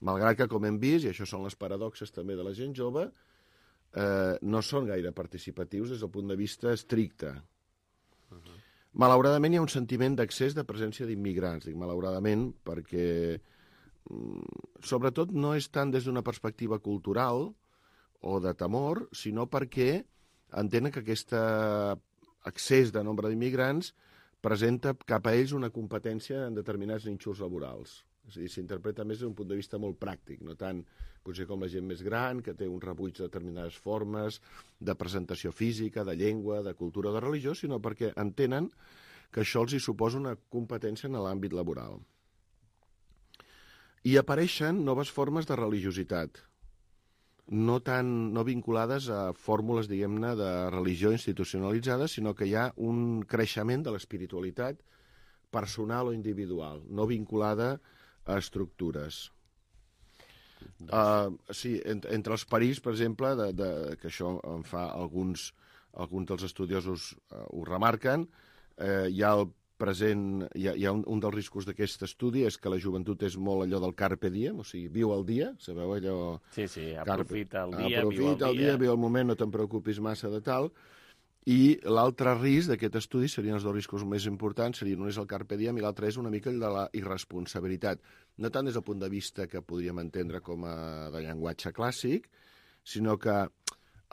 Malgrat que, com hem vist, i això són les paradoxes també de la gent jove, eh, no són gaire participatius des del punt de vista estricte. Uh-huh. Malauradament hi ha un sentiment d'accés de presència d'immigrants, dic malauradament, perquè sobretot no és tant des d'una perspectiva cultural o de temor, sinó perquè entenen que aquest accés de nombre d'immigrants presenta cap a ells una competència en determinats nínxols laborals. És a dir, s'interpreta més des d'un punt de vista molt pràctic, no tant potser com la gent més gran, que té un rebuig de determinades formes de presentació física, de llengua, de cultura o de religió, sinó perquè entenen que això els hi suposa una competència en l'àmbit laboral. I apareixen noves formes de religiositat. no, tan, no vinculades a fórmules, diguem-ne, de religió institucionalitzada, sinó que hi ha un creixement de l'espiritualitat personal o individual, no vinculada a estructures. Uh, sí, entre, entre els perills, per exemple, de, de, que això en fa alguns, alguns dels estudiosos uh, ho remarquen, uh, hi ha el present, hi ha, hi ha un, un dels riscos d'aquest estudi és que la joventut és molt allò del carpe diem, o sigui, viu el dia, sabeu allò... Sí, sí, aprofita el dia, aprofita viu el dia. el dia, viu el moment, no te'n preocupis massa de tal. I l'altre risc d'aquest estudi serien els dos riscos més importants, serien un és el carpe diem i l'altre és una mica el de la irresponsabilitat. No tant des del punt de vista que podríem entendre com a de llenguatge clàssic, sinó que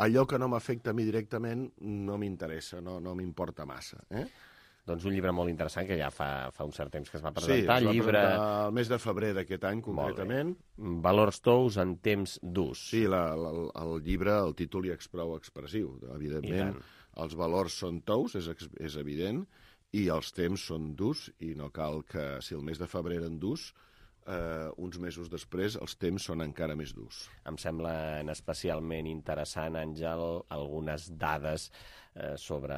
allò que no m'afecta a mi directament no m'interessa, no, no m'importa massa, eh? Doncs un llibre molt interessant que ja fa, fa un cert temps que es va presentar. Sí, es va llibre... presentar el mes de febrer d'aquest any, concretament. Valors tous en temps d'ús. Sí, la, la, el llibre, el títol ja és prou expressiu. Evidentment, els valors són tous, és, és evident, i els temps són d'ús, i no cal que, si el mes de febrer eren d'ús, eh, uns mesos després els temps són encara més durs. Em semblen especialment interessant, Àngel, algunes dades eh, sobre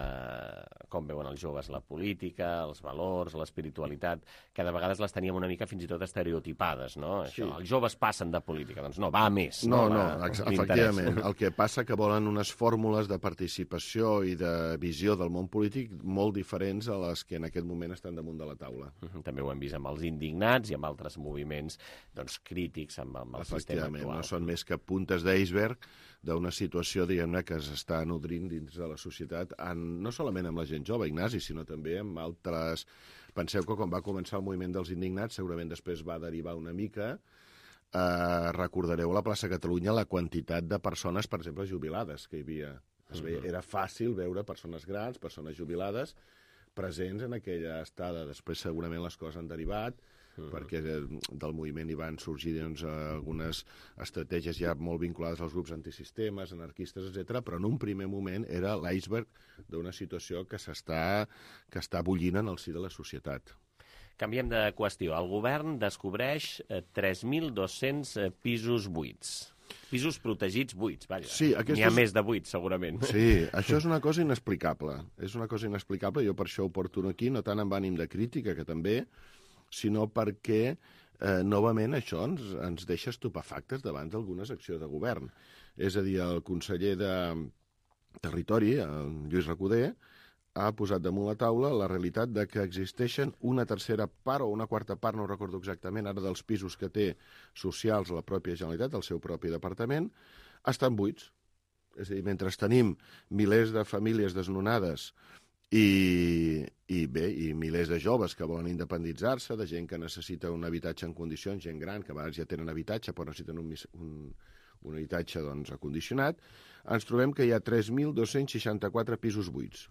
com veuen els joves la política, els valors, l'espiritualitat, que de vegades les teníem una mica fins i tot estereotipades, no? Sí. Això, els joves passen de política, doncs no, va a més. No, no, no, va, efectivament. El que passa que volen unes fórmules de participació i de visió del món polític molt diferents a les que en aquest moment estan damunt de la taula. També ho hem vist amb els indignats i amb altres moviments doncs, crítics amb, amb el sistema actual. No són més que puntes d'iceberg d'una situació, diguem-ne, que s'està nodrint dins de la societat, en, no solament amb la gent jove, Ignasi, sinó també amb altres... Penseu que quan va començar el moviment dels indignats, segurament després va derivar una mica, eh, recordareu a la plaça Catalunya la quantitat de persones, per exemple, jubilades que hi havia. Es veia, era fàcil veure persones grans, persones jubilades, presents en aquella estada. Després segurament les coses han derivat, Uh-huh. perquè de, del moviment hi van sorgir doncs, algunes estratègies ja molt vinculades als grups antisistemes, anarquistes, etcètera, però en un primer moment era l'iceberg d'una situació que s'està que està bullint en el si de la societat. Canviem de qüestió. El govern descobreix tres mil dos-cents pisos buits. Pisos protegits buits, vaja. Sí, n'hi ha és... més de buits, segurament. Sí, això és una cosa inexplicable. És una cosa inexplicable, jo per això ho porto aquí, no tant amb ànim de crítica, que també, sinó perquè, eh, novament, això ens, ens deixa estupefactes davant d'algunes accions de govern. És a dir, el conseller de Territori, el Lluís Recoder, ha posat damunt la taula la realitat de que existeixen una tercera part o una quarta part, no ho recordo exactament, ara dels pisos que té socials la pròpia Generalitat, el seu propi departament, estan buits. És a dir, mentre tenim milers de famílies desnonades I, i bé, i milers de joves que volen independitzar-se, de gent que necessita un habitatge en condicions, gent gran, que a vegades ja tenen habitatge, però necessiten un, un, un habitatge doncs, acondicionat, ens trobem que hi ha tres mil dos-cents seixanta-quatre pisos buits.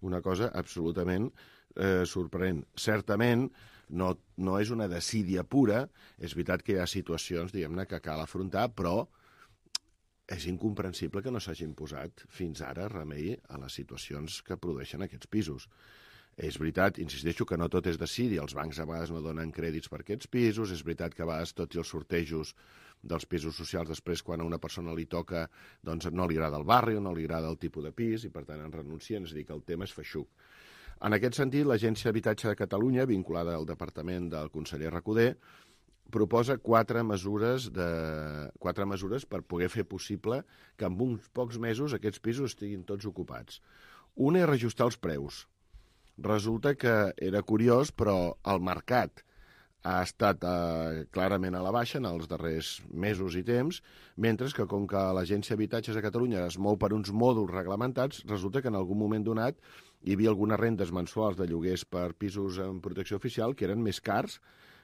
Una cosa absolutament eh, sorprenent. Certament, no, no és una desídia pura, és veritat que hi ha situacions, diguem-ne, que cal afrontar, però és incomprensible que no s'hagin posat fins ara remei a les situacions que produeixen aquests pisos. És veritat, insisteixo, que no tot és desídia, els bancs a vegades no donen crèdits per aquests pisos, és veritat que a vegades tots els sortejos dels pisos socials després quan a una persona li toca doncs no li agrada el barri o no li agrada el tipus de pis i per tant en renuncien, és a dir, que el tema és feixuc. En aquest sentit, l'Agència d'Habitatge de Catalunya, vinculada al departament del conseller Recoder, proposa quatre mesures, de, quatre mesures per poder fer possible que en uns pocs mesos aquests pisos estiguin tots ocupats. Una és reajustar els preus. Resulta que era curiós, però el mercat ha estat eh, clarament a la baixa en els darrers mesos i temps, mentre que com que l'Agència d'Habitatges de Catalunya es mou per uns mòduls reglamentats, resulta que en algun moment donat hi havia algunes rendes mensuals de lloguers per pisos en protecció oficial que eren més cars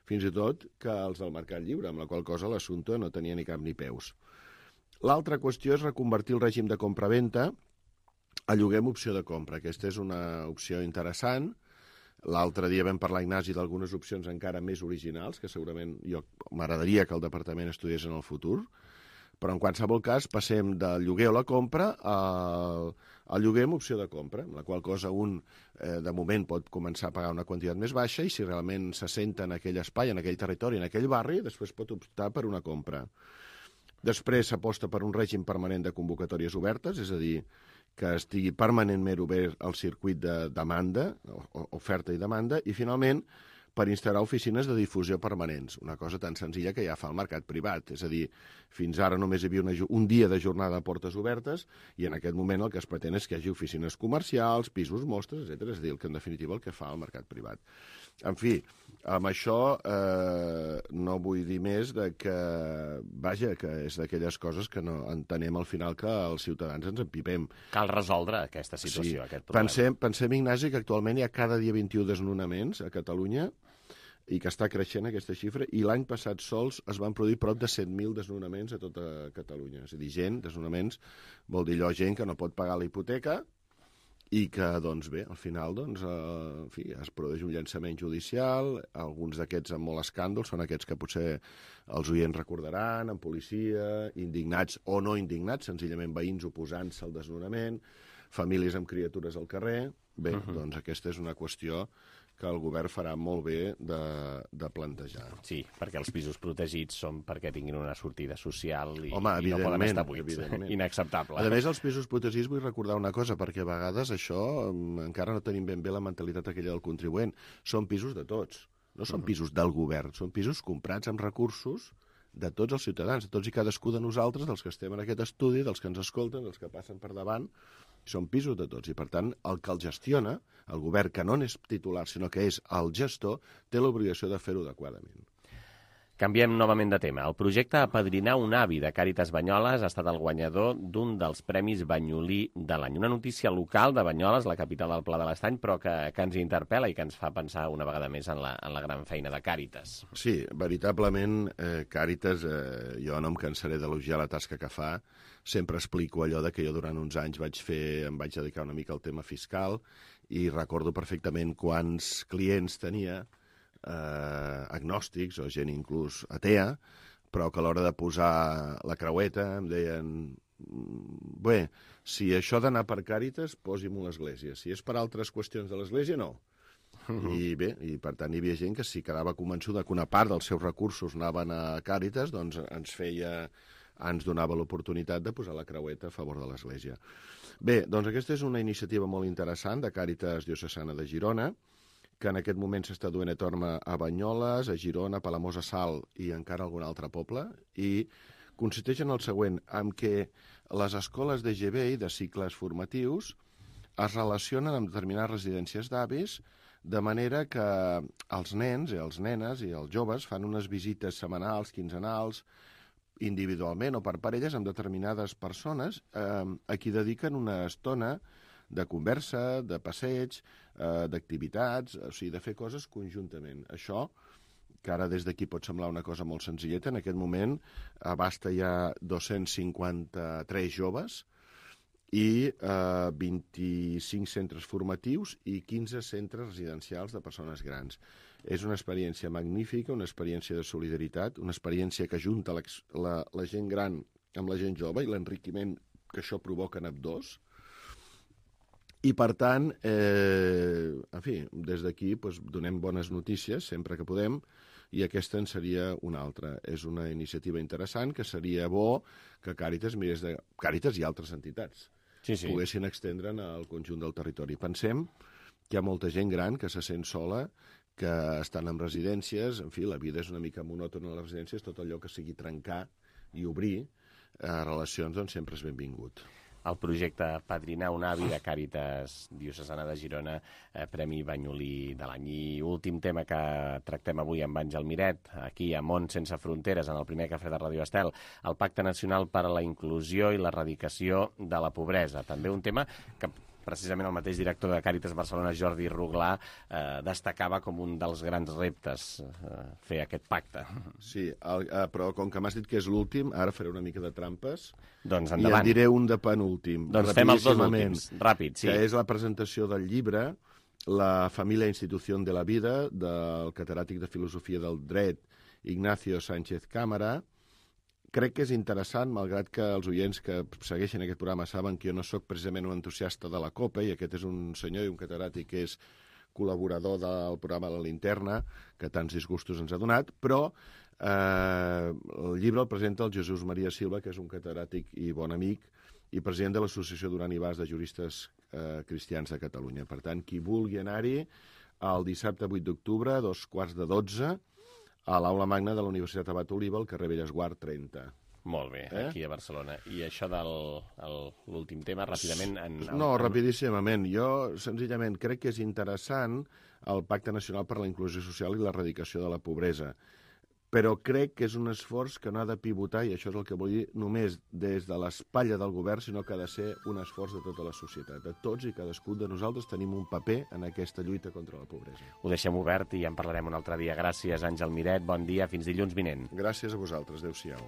fins i tot que els del mercat lliure, amb la qual cosa l'assumpte no tenia ni cap ni peus. L'altra qüestió és reconvertir el règim de compra-venta a lloguer amb opció de compra. Aquesta és una opció interessant. L'altre dia vam parlar, Ignasi, d'algunes opcions encara més originals, que segurament jo m'agradaria que el departament estudiés en el futur, però en qualsevol cas passem del lloguer o la compra al, al lloguer amb opció de compra, amb la qual cosa un eh, de moment pot començar a pagar una quantitat més baixa i si realment se senta en aquell espai, en aquell territori, en aquell barri, després pot optar per una compra. Després s'aposta per un règim permanent de convocatòries obertes, és a dir, que estigui permanentment obert el circuit de demanda, oferta i demanda, i finalment per instal·lar oficines de difusió permanents, una cosa tan senzilla que ja fa el mercat privat. És a dir, fins ara només hi havia una, un dia de jornada a portes obertes i en aquest moment el que es pretén és que hi hagi oficines comercials, pisos, mostres, etcètera. És a dir, el que en definitiva el que fa el mercat privat. En fi, amb això eh, no vull dir més de que, vaja, que és d'aquelles coses que no entenem al final que els ciutadans ens empipem. Cal resoldre aquesta situació, sí. aquest problema. Pensem, pensem, Ignasi, que actualment hi ha cada dia vint-i-u desnonaments a Catalunya i que està creixent aquesta xifra, i l'any passat sols es van produir prop de set mil desnonaments a tota Catalunya. És a dir, gent, desnonaments, vol dir allò, gent que no pot pagar la hipoteca i que, doncs bé, al final doncs, eh, en fi, es produeix un llançament judicial, alguns d'aquests amb molt escàndol, són aquests que potser els oients recordaran, amb policia, indignats o no indignats, senzillament veïns oposant-se al desnonament, famílies amb criatures al carrer. Bé, uh-huh. doncs aquesta és una qüestió que el govern farà molt bé de, de plantejar. Sí, perquè els pisos protegits són perquè tinguin una sortida social i, Home, i no poden estar buits. Inacceptable. A més, els pisos protegits vull recordar una cosa, perquè a vegades això encara no tenim ben bé la mentalitat aquella del contribuent. Són pisos de tots, no són uh-huh. pisos del govern, són pisos comprats amb recursos de tots els ciutadans, de tots i cadascú de nosaltres, dels que estem en aquest estudi, dels que ens escolten, dels que passen per davant. Són pisos de tots i, per tant, el que el gestiona, el govern que no n'és titular, sinó que és el gestor, té l'obligació de fer-ho adequadament. Canviem novament de tema. El projecte Apadrinar un avi de Càritas Banyoles ha estat el guanyador d'un dels Premis Banyolí de l'any. Una notícia local de Banyoles, la capital del Pla de l'Estany, però que, que ens interpel·la i que ens fa pensar una vegada més en la, en la gran feina de Càritas. Sí, veritablement, eh, Càritas, eh, jo no em cansaré d'elogiar la tasca que fa. Sempre explico allò de que jo durant uns anys vaig fer, em vaig dedicar una mica al tema fiscal i recordo perfectament quants clients tenia, eh, agnòstics o gent inclús atea, però que a l'hora de posar la creueta em deien bé, si això d'anar per Càritas, posi-m'ho a l'església. Si és per altres qüestions de l'església, no. Uh-huh. I bé, i per tant hi havia gent que si quedava convençuda que una part dels seus recursos anaven a Càritas, doncs ens feia... ens donava l'oportunitat de posar la creueta a favor de l'Església. Bé, doncs aquesta és una iniciativa molt interessant de Càritas Diocesana de Girona, que en aquest moment s'està duent a terme a Banyoles, a Girona, a Palamós a Salt i encara algun altre poble, i consisteix en el següent, en què les escoles de G B I, de cicles formatius, es relacionen amb determinades residències d'avis, de manera que els nens i els nenes i els joves fan unes visites setmanals, quinzenals, individualment o per parelles amb determinades persones eh, a qui dediquen una estona de conversa, de passeig, eh, d'activitats, o sigui, de fer coses conjuntament. Això, que ara des d'aquí pot semblar una cosa molt senzilleta, en aquest moment abasta ja dos-cents cinquanta-tres joves i eh, vint-i-cinc centres formatius i quinze centres residencials de persones grans. És una experiència magnífica, una experiència de solidaritat, una experiència que junta la, la, la gent gran amb la gent jove i l'enriquiment que això provoca en ambdós. I, per tant, eh, en fi, des d'aquí doncs, donem bones notícies sempre que podem, i aquesta en seria una altra. És una iniciativa interessant que seria bo que Càritas, mirés de... Càritas i altres entitats sí, sí. poguessin extendre'n al conjunt del territori. Pensem que hi ha molta gent gran que se sent sola, que estan en residències, en fi, la vida és una mica monòtona a les residències, tot allò que sigui trencar i obrir eh, relacions, doncs sempre és benvingut. El projecte Padrinar un avi de Càritas Diocesana de Girona, eh, Premi Banyolí de l'any. I últim tema que tractem avui amb Àngel Miret, aquí a Món Sense Fronteres, en el primer cafè de Ràdio Estel, el Pacte Nacional per a la Inclusió i l'Erradicació de la Pobresa. També un tema que precisament el mateix director de Càritas Barcelona, Jordi Ruglà, eh, destacava com un dels grans reptes eh, fer aquest pacte. Sí, el, eh, però com que m'has dit que és l'últim, ara faré una mica de trampes. Doncs endavant. I en diré un de penúltim. Doncs fem els dos últims, ràpid, sí. Que és la presentació del llibre La família institució de la vida, del catedràtic de Filosofia del Dret, Ignacio Sánchez Cámara. Crec que és interessant, malgrat que els oients que segueixen aquest programa saben que jo no sóc precisament un entusiasta de la COPE, i aquest és un senyor i un catedràtic que és col·laborador del programa La Linterna, que tants disgustos ens ha donat, però Eh, el llibre el presenta el Jesús Maria Silva, que és un catedràtic i bon amic, i president de l'Associació Duran i Bas de Juristes eh, Cristians de Catalunya. Per tant, qui vulgui anar-hi, el dissabte vuit d'octubre, a dos quarts de dotze, a l'Aula Magna de la Universitat Abat Oliva, al carrer Bellesguard trenta. Molt bé, eh? Aquí a Barcelona. I això de l'últim tema, ràpidament... En, en... No, rapidíssimament. Jo, senzillament, crec que és interessant el Pacte Nacional per la Inclusió Social i l'Erradicació de la Pobresa, però crec que és un esforç que no ha de pivotar, i això és el que vull dir, només des de l'espatlla del govern, sinó que ha de ser un esforç de tota la societat. De tots i cadascun de nosaltres tenim un paper en aquesta lluita contra la pobresa. Ho deixem obert i ja en parlarem un altre dia. Gràcies, Àngel Miret. Bon dia. Fins dilluns vinent. Gràcies a vosaltres. Adéu-siau.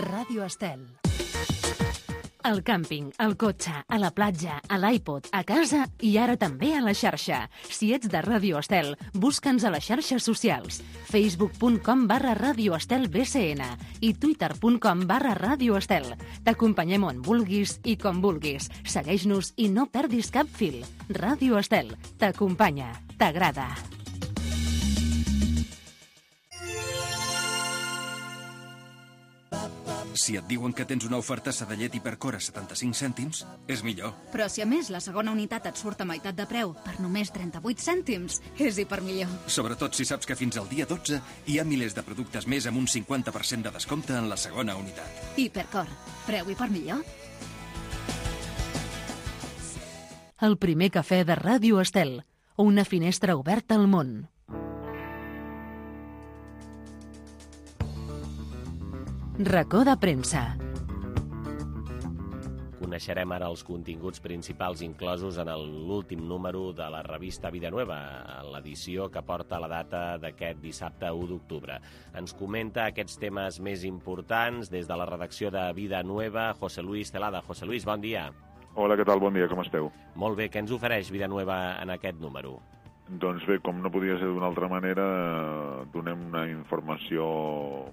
Ràdio Estel. Al càmping, al cotxe, a la platja, a l'iPod, a casa i ara també a la xarxa. Si ets de Ràdio Estel, busca'ns a les xarxes socials. facebook punt com barra Ràdio Estel B C N i twitter punt com barra Ràdio Estel. T'acompanyem on vulguis i com vulguis. Segueix-nos i no perdis cap fil. Ràdio Estel t'acompanya. T'agrada. Si et diuen que tens una ofertassa de llet Hipercor a setanta-cinc cèntims, és millor. Però si a més la segona unitat et surt a meitat de preu per només trenta-vuit cèntims, és hipermillor. Sobretot si saps que fins al dia dotze hi ha milers de productes més amb un cinquanta per cent de descompte en la segona unitat. Hipercor. Preu hipermillor. El primer cafè de Ràdio Estel. Una finestra oberta al món. Racó de premsa. Coneixerem ara els continguts principals inclosos en l'últim número de la revista Vida Nueva, l'edició que porta la data d'aquest dissabte u d'octubre. Ens comenta aquests temes més importants des de la redacció de Vida Nueva, José Luis Celada. José Luis, bon dia. Hola, què tal? Bon dia, com esteu? Molt bé, què ens ofereix Vida Nueva en aquest número? Doncs bé, com no podia ser d'una altra manera, donem una informació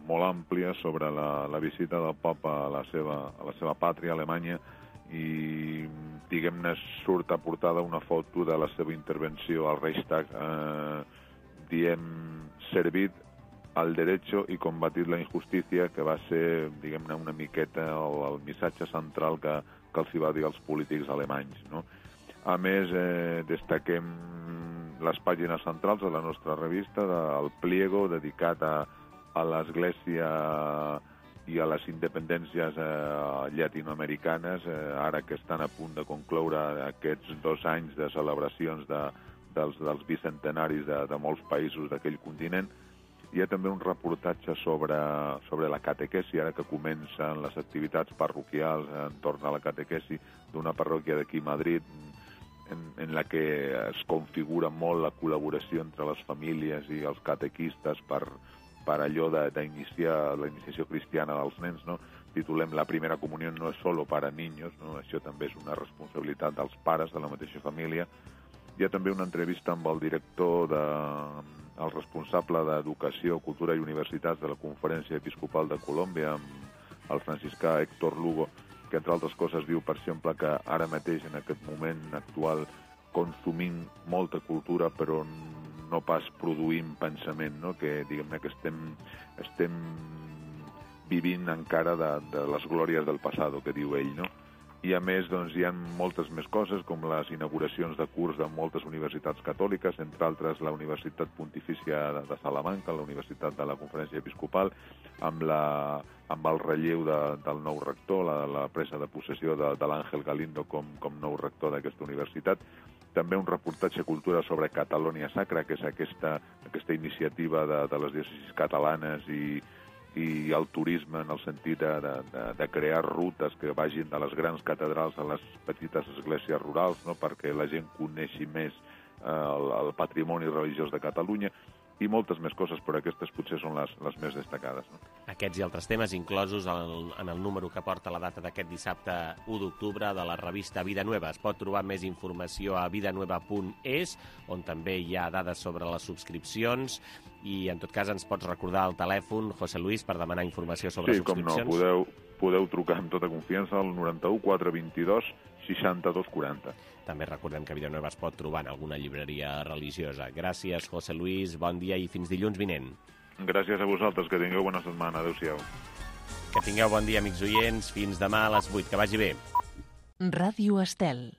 molt àmplia sobre la, la visita del papa a la seva, a la seva pàtria, Alemanya, i, diguem-ne, surt a portada una foto de la seva intervenció al Reichstag, eh, diem, servit al derecho i combatit la injustícia, que va ser, diguem-ne, una miqueta el, el missatge central que, que els hi va dir als polítics alemanys, no? A més, eh, destaquem les pàgines centrals de la nostra revista, del pliego dedicat a, a l'Església i a les independències eh, llatinoamericanes, eh, ara que estan a punt de concloure aquests dos anys de celebracions de, dels, dels bicentenaris de, de molts països d'aquell continent. Hi ha també un reportatge sobre, sobre la catequesi, ara que comencen les activitats parroquials entorn a la catequesi d'una parròquia d'aquí a Madrid, En, en la que es configura molt la col·laboració entre les famílies i els catequistes per, per allò d'iniciar la iniciació cristiana dels nens, no? Titulem La primera comunió no és solo para niños, no? Això també és una responsabilitat dels pares de la mateixa família. Hi ha també una entrevista amb el director, de, el responsable d'Educació, Cultura i Universitats de la Conferència Episcopal de Colòmbia, amb el franciscà Héctor Lugo, que entre altres coses diu, per exemple, que ara mateix, en aquest moment actual, consumim molta cultura, però no pas produïm pensament, no? Que, diguem-ne, que estem, estem vivint encara de, de les glòries del passat, que diu ell, no? I, a més, doncs, hi ha moltes més coses, com les inauguracions de curs de moltes universitats catòliques, entre altres la Universitat Pontifícia de Salamanca, la Universitat de la Conferència Episcopal, amb, la, amb el relleu de, del nou rector, la, la presa de possessió de, de l'Àngel Galindo com, com nou rector d'aquesta universitat. També un reportatge cultura sobre Catalònia Sacra, que és aquesta, aquesta iniciativa de, de les diòcesis catalanes i i el turisme en el sentit de, de, de crear rutes que vagin de les grans catedrals a les petites esglésies rurals, no? Perquè la gent coneixi més eh, el, el patrimoni religiós de Catalunya, i moltes més coses, però aquestes potser són les, les més destacades. No? Aquests i altres temes inclosos en el, en el número que porta la data d'aquest dissabte u d'octubre de la revista Vida Nueva. Es pot trobar més informació a vidanueva punt es, on també hi ha dades sobre les subscripcions, i en tot cas ens pots recordar el telèfon, José Luis, per demanar informació sobre sí, subscripcions? Sí, com no, podeu, podeu trucar amb tota confiança al noranta-u quatre vint-i-dos seixanta-dos quaranta. També recordem que Villanueva es pot trobar en alguna llibreria religiosa. Gràcies, José Luis, bon dia i fins dilluns vinent. Gràcies a vosaltres, que tingueu bona setmana. Adéu-siau. Que tingueu bon dia, amics oients. Fins demà a les vuit. Que vagi bé. Ràdio Estel.